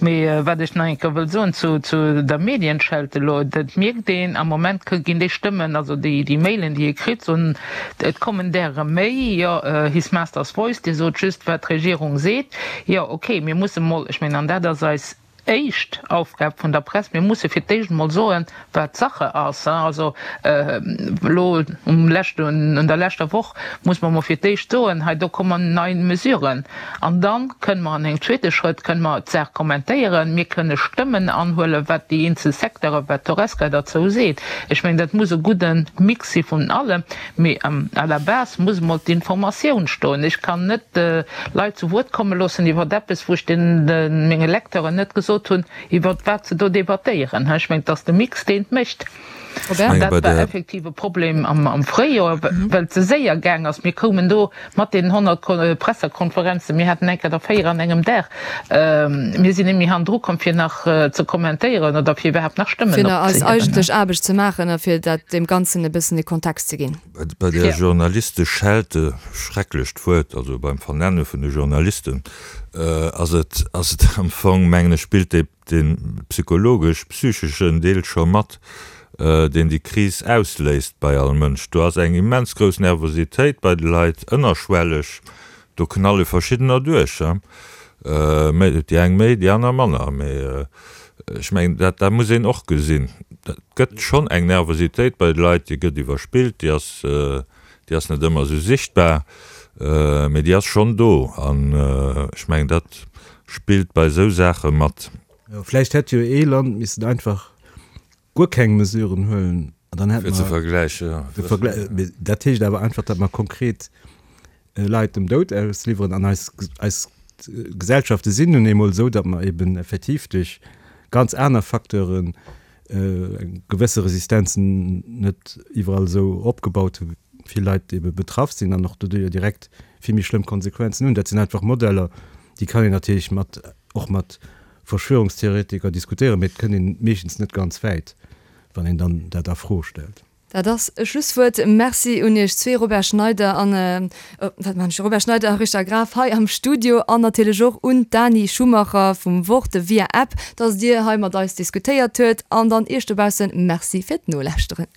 Mee wat ech nach eng Kéier wëll soen zu, zu der Medienschelte elo, dat mierkt een, am Moment ginn déi Stëmmen, also déi, déi Mailen, déi ee kritt, soen, et kommen därer méi, jo, His Master's Voice, Dir sot just, wat d'Regierung seet. Jo, okay, mir musse mol, ech mengen, an dat ass eis éischt Aufgab vun der Press, mir musse fir d'éischt emol soen, wat Sache ass. Also elo um leschten, un der leschter Woch muss mer emol fir d'éischt soen, hei do kommen nei Mesuren. An da kënne mer an engem zweete Schrëtt kënne mer d'Saach kommentéieren, mir kënne Stëmmen anhuelen, wat déi eenzel Secteuren, wat d'Horesca derzou seet. Ech mengen, dat muss e gudde Mix si vun allem. Mee à la base muss emol d'Informatioun stoen. Ech kann net Leit zu Wuert komme loossen iwwer eppes, wou ech menge Lecteuren net gesot hunn, iwwer wat se do debattéieren. Ech mengen, et ass de Mix, deen et mécht. An dat war effektiv e Problem am Fréijoer, well et ze séier gaang ass. Mir koumen do mat deenen honnert Pressekonferenzen, mir haten eng Kéier der véier an engem Dag, mir sinn net méi hannendru komm, fir nach ze kommentéieren oder fir iwwerhaapt nach Stëmmen Fir nach eis opzehiewen. eigentlech Aarbecht ze maachen a fir dat deem Ganzen e bëssen e Kontext ze ginn. Bei der Journalisteschelte, schrecklecht Wuert, also beim Vernenne vun de Journalisten, ass et, ass et am Fong, mengen ech, spillt dee, dee psychologesch, psycheschen Deel scho mat, deen déi Kris ausléist bei all Mënsch. Do ass eng immens grouss Nervositéit bei de Leit, ënnerschwelleg, do knalle verschiddener duerch. Méi, déi eng méi, déi aner manner. Mee ech mengen, dat, dat muss een och gesinn. Dat gëtt schonn eng Nervositéit bei de Leit, déi gëtt iwwerspillt, déi ass, déi ass net ëmmer esou sichtbar, mee déi ass schonn do. An ech mengen, dat spillt bei esou Saache mat. Jo, vläicht hätt jo ee Land missen einfach guer keng Mesuren huelen an dann hätt Fir ze mer vergläichen, jo. de Verglä-, mee dat heescht awer einfach, datt mer konkret Leit dem Doud ausliwweren an eis, eis Gesellschafte sinn nun eemol esou, datt mer eben effektiv duerch ganz aner Facteuren eng gewësse Resistenzen net iwwerall esou opgebaut hu vill Leit ebe betraff sinn an och doduerjer direkt vill méi schlëmm Konsequenzen hunn. Dat sinn einfach Modeller, déi kann een natierlech mat, och mat Verschwörungstheoretiker diskutéieren, mee et kënnt een meeschtens net ganz wäit, wann een dann dat a Fro stellt. Dat ass e Schlusswuert. Merci un Iech zwee, Robert Schneider an, wat man ech, Robert Schneider a Richard Graf hei am Studio an natierlech och un d'Dani Schumacher vum Wort via App, dass Dir hei mat eis diskutéiert huet. An dann Iech dobaussen Merci fir d'Nolauschteren.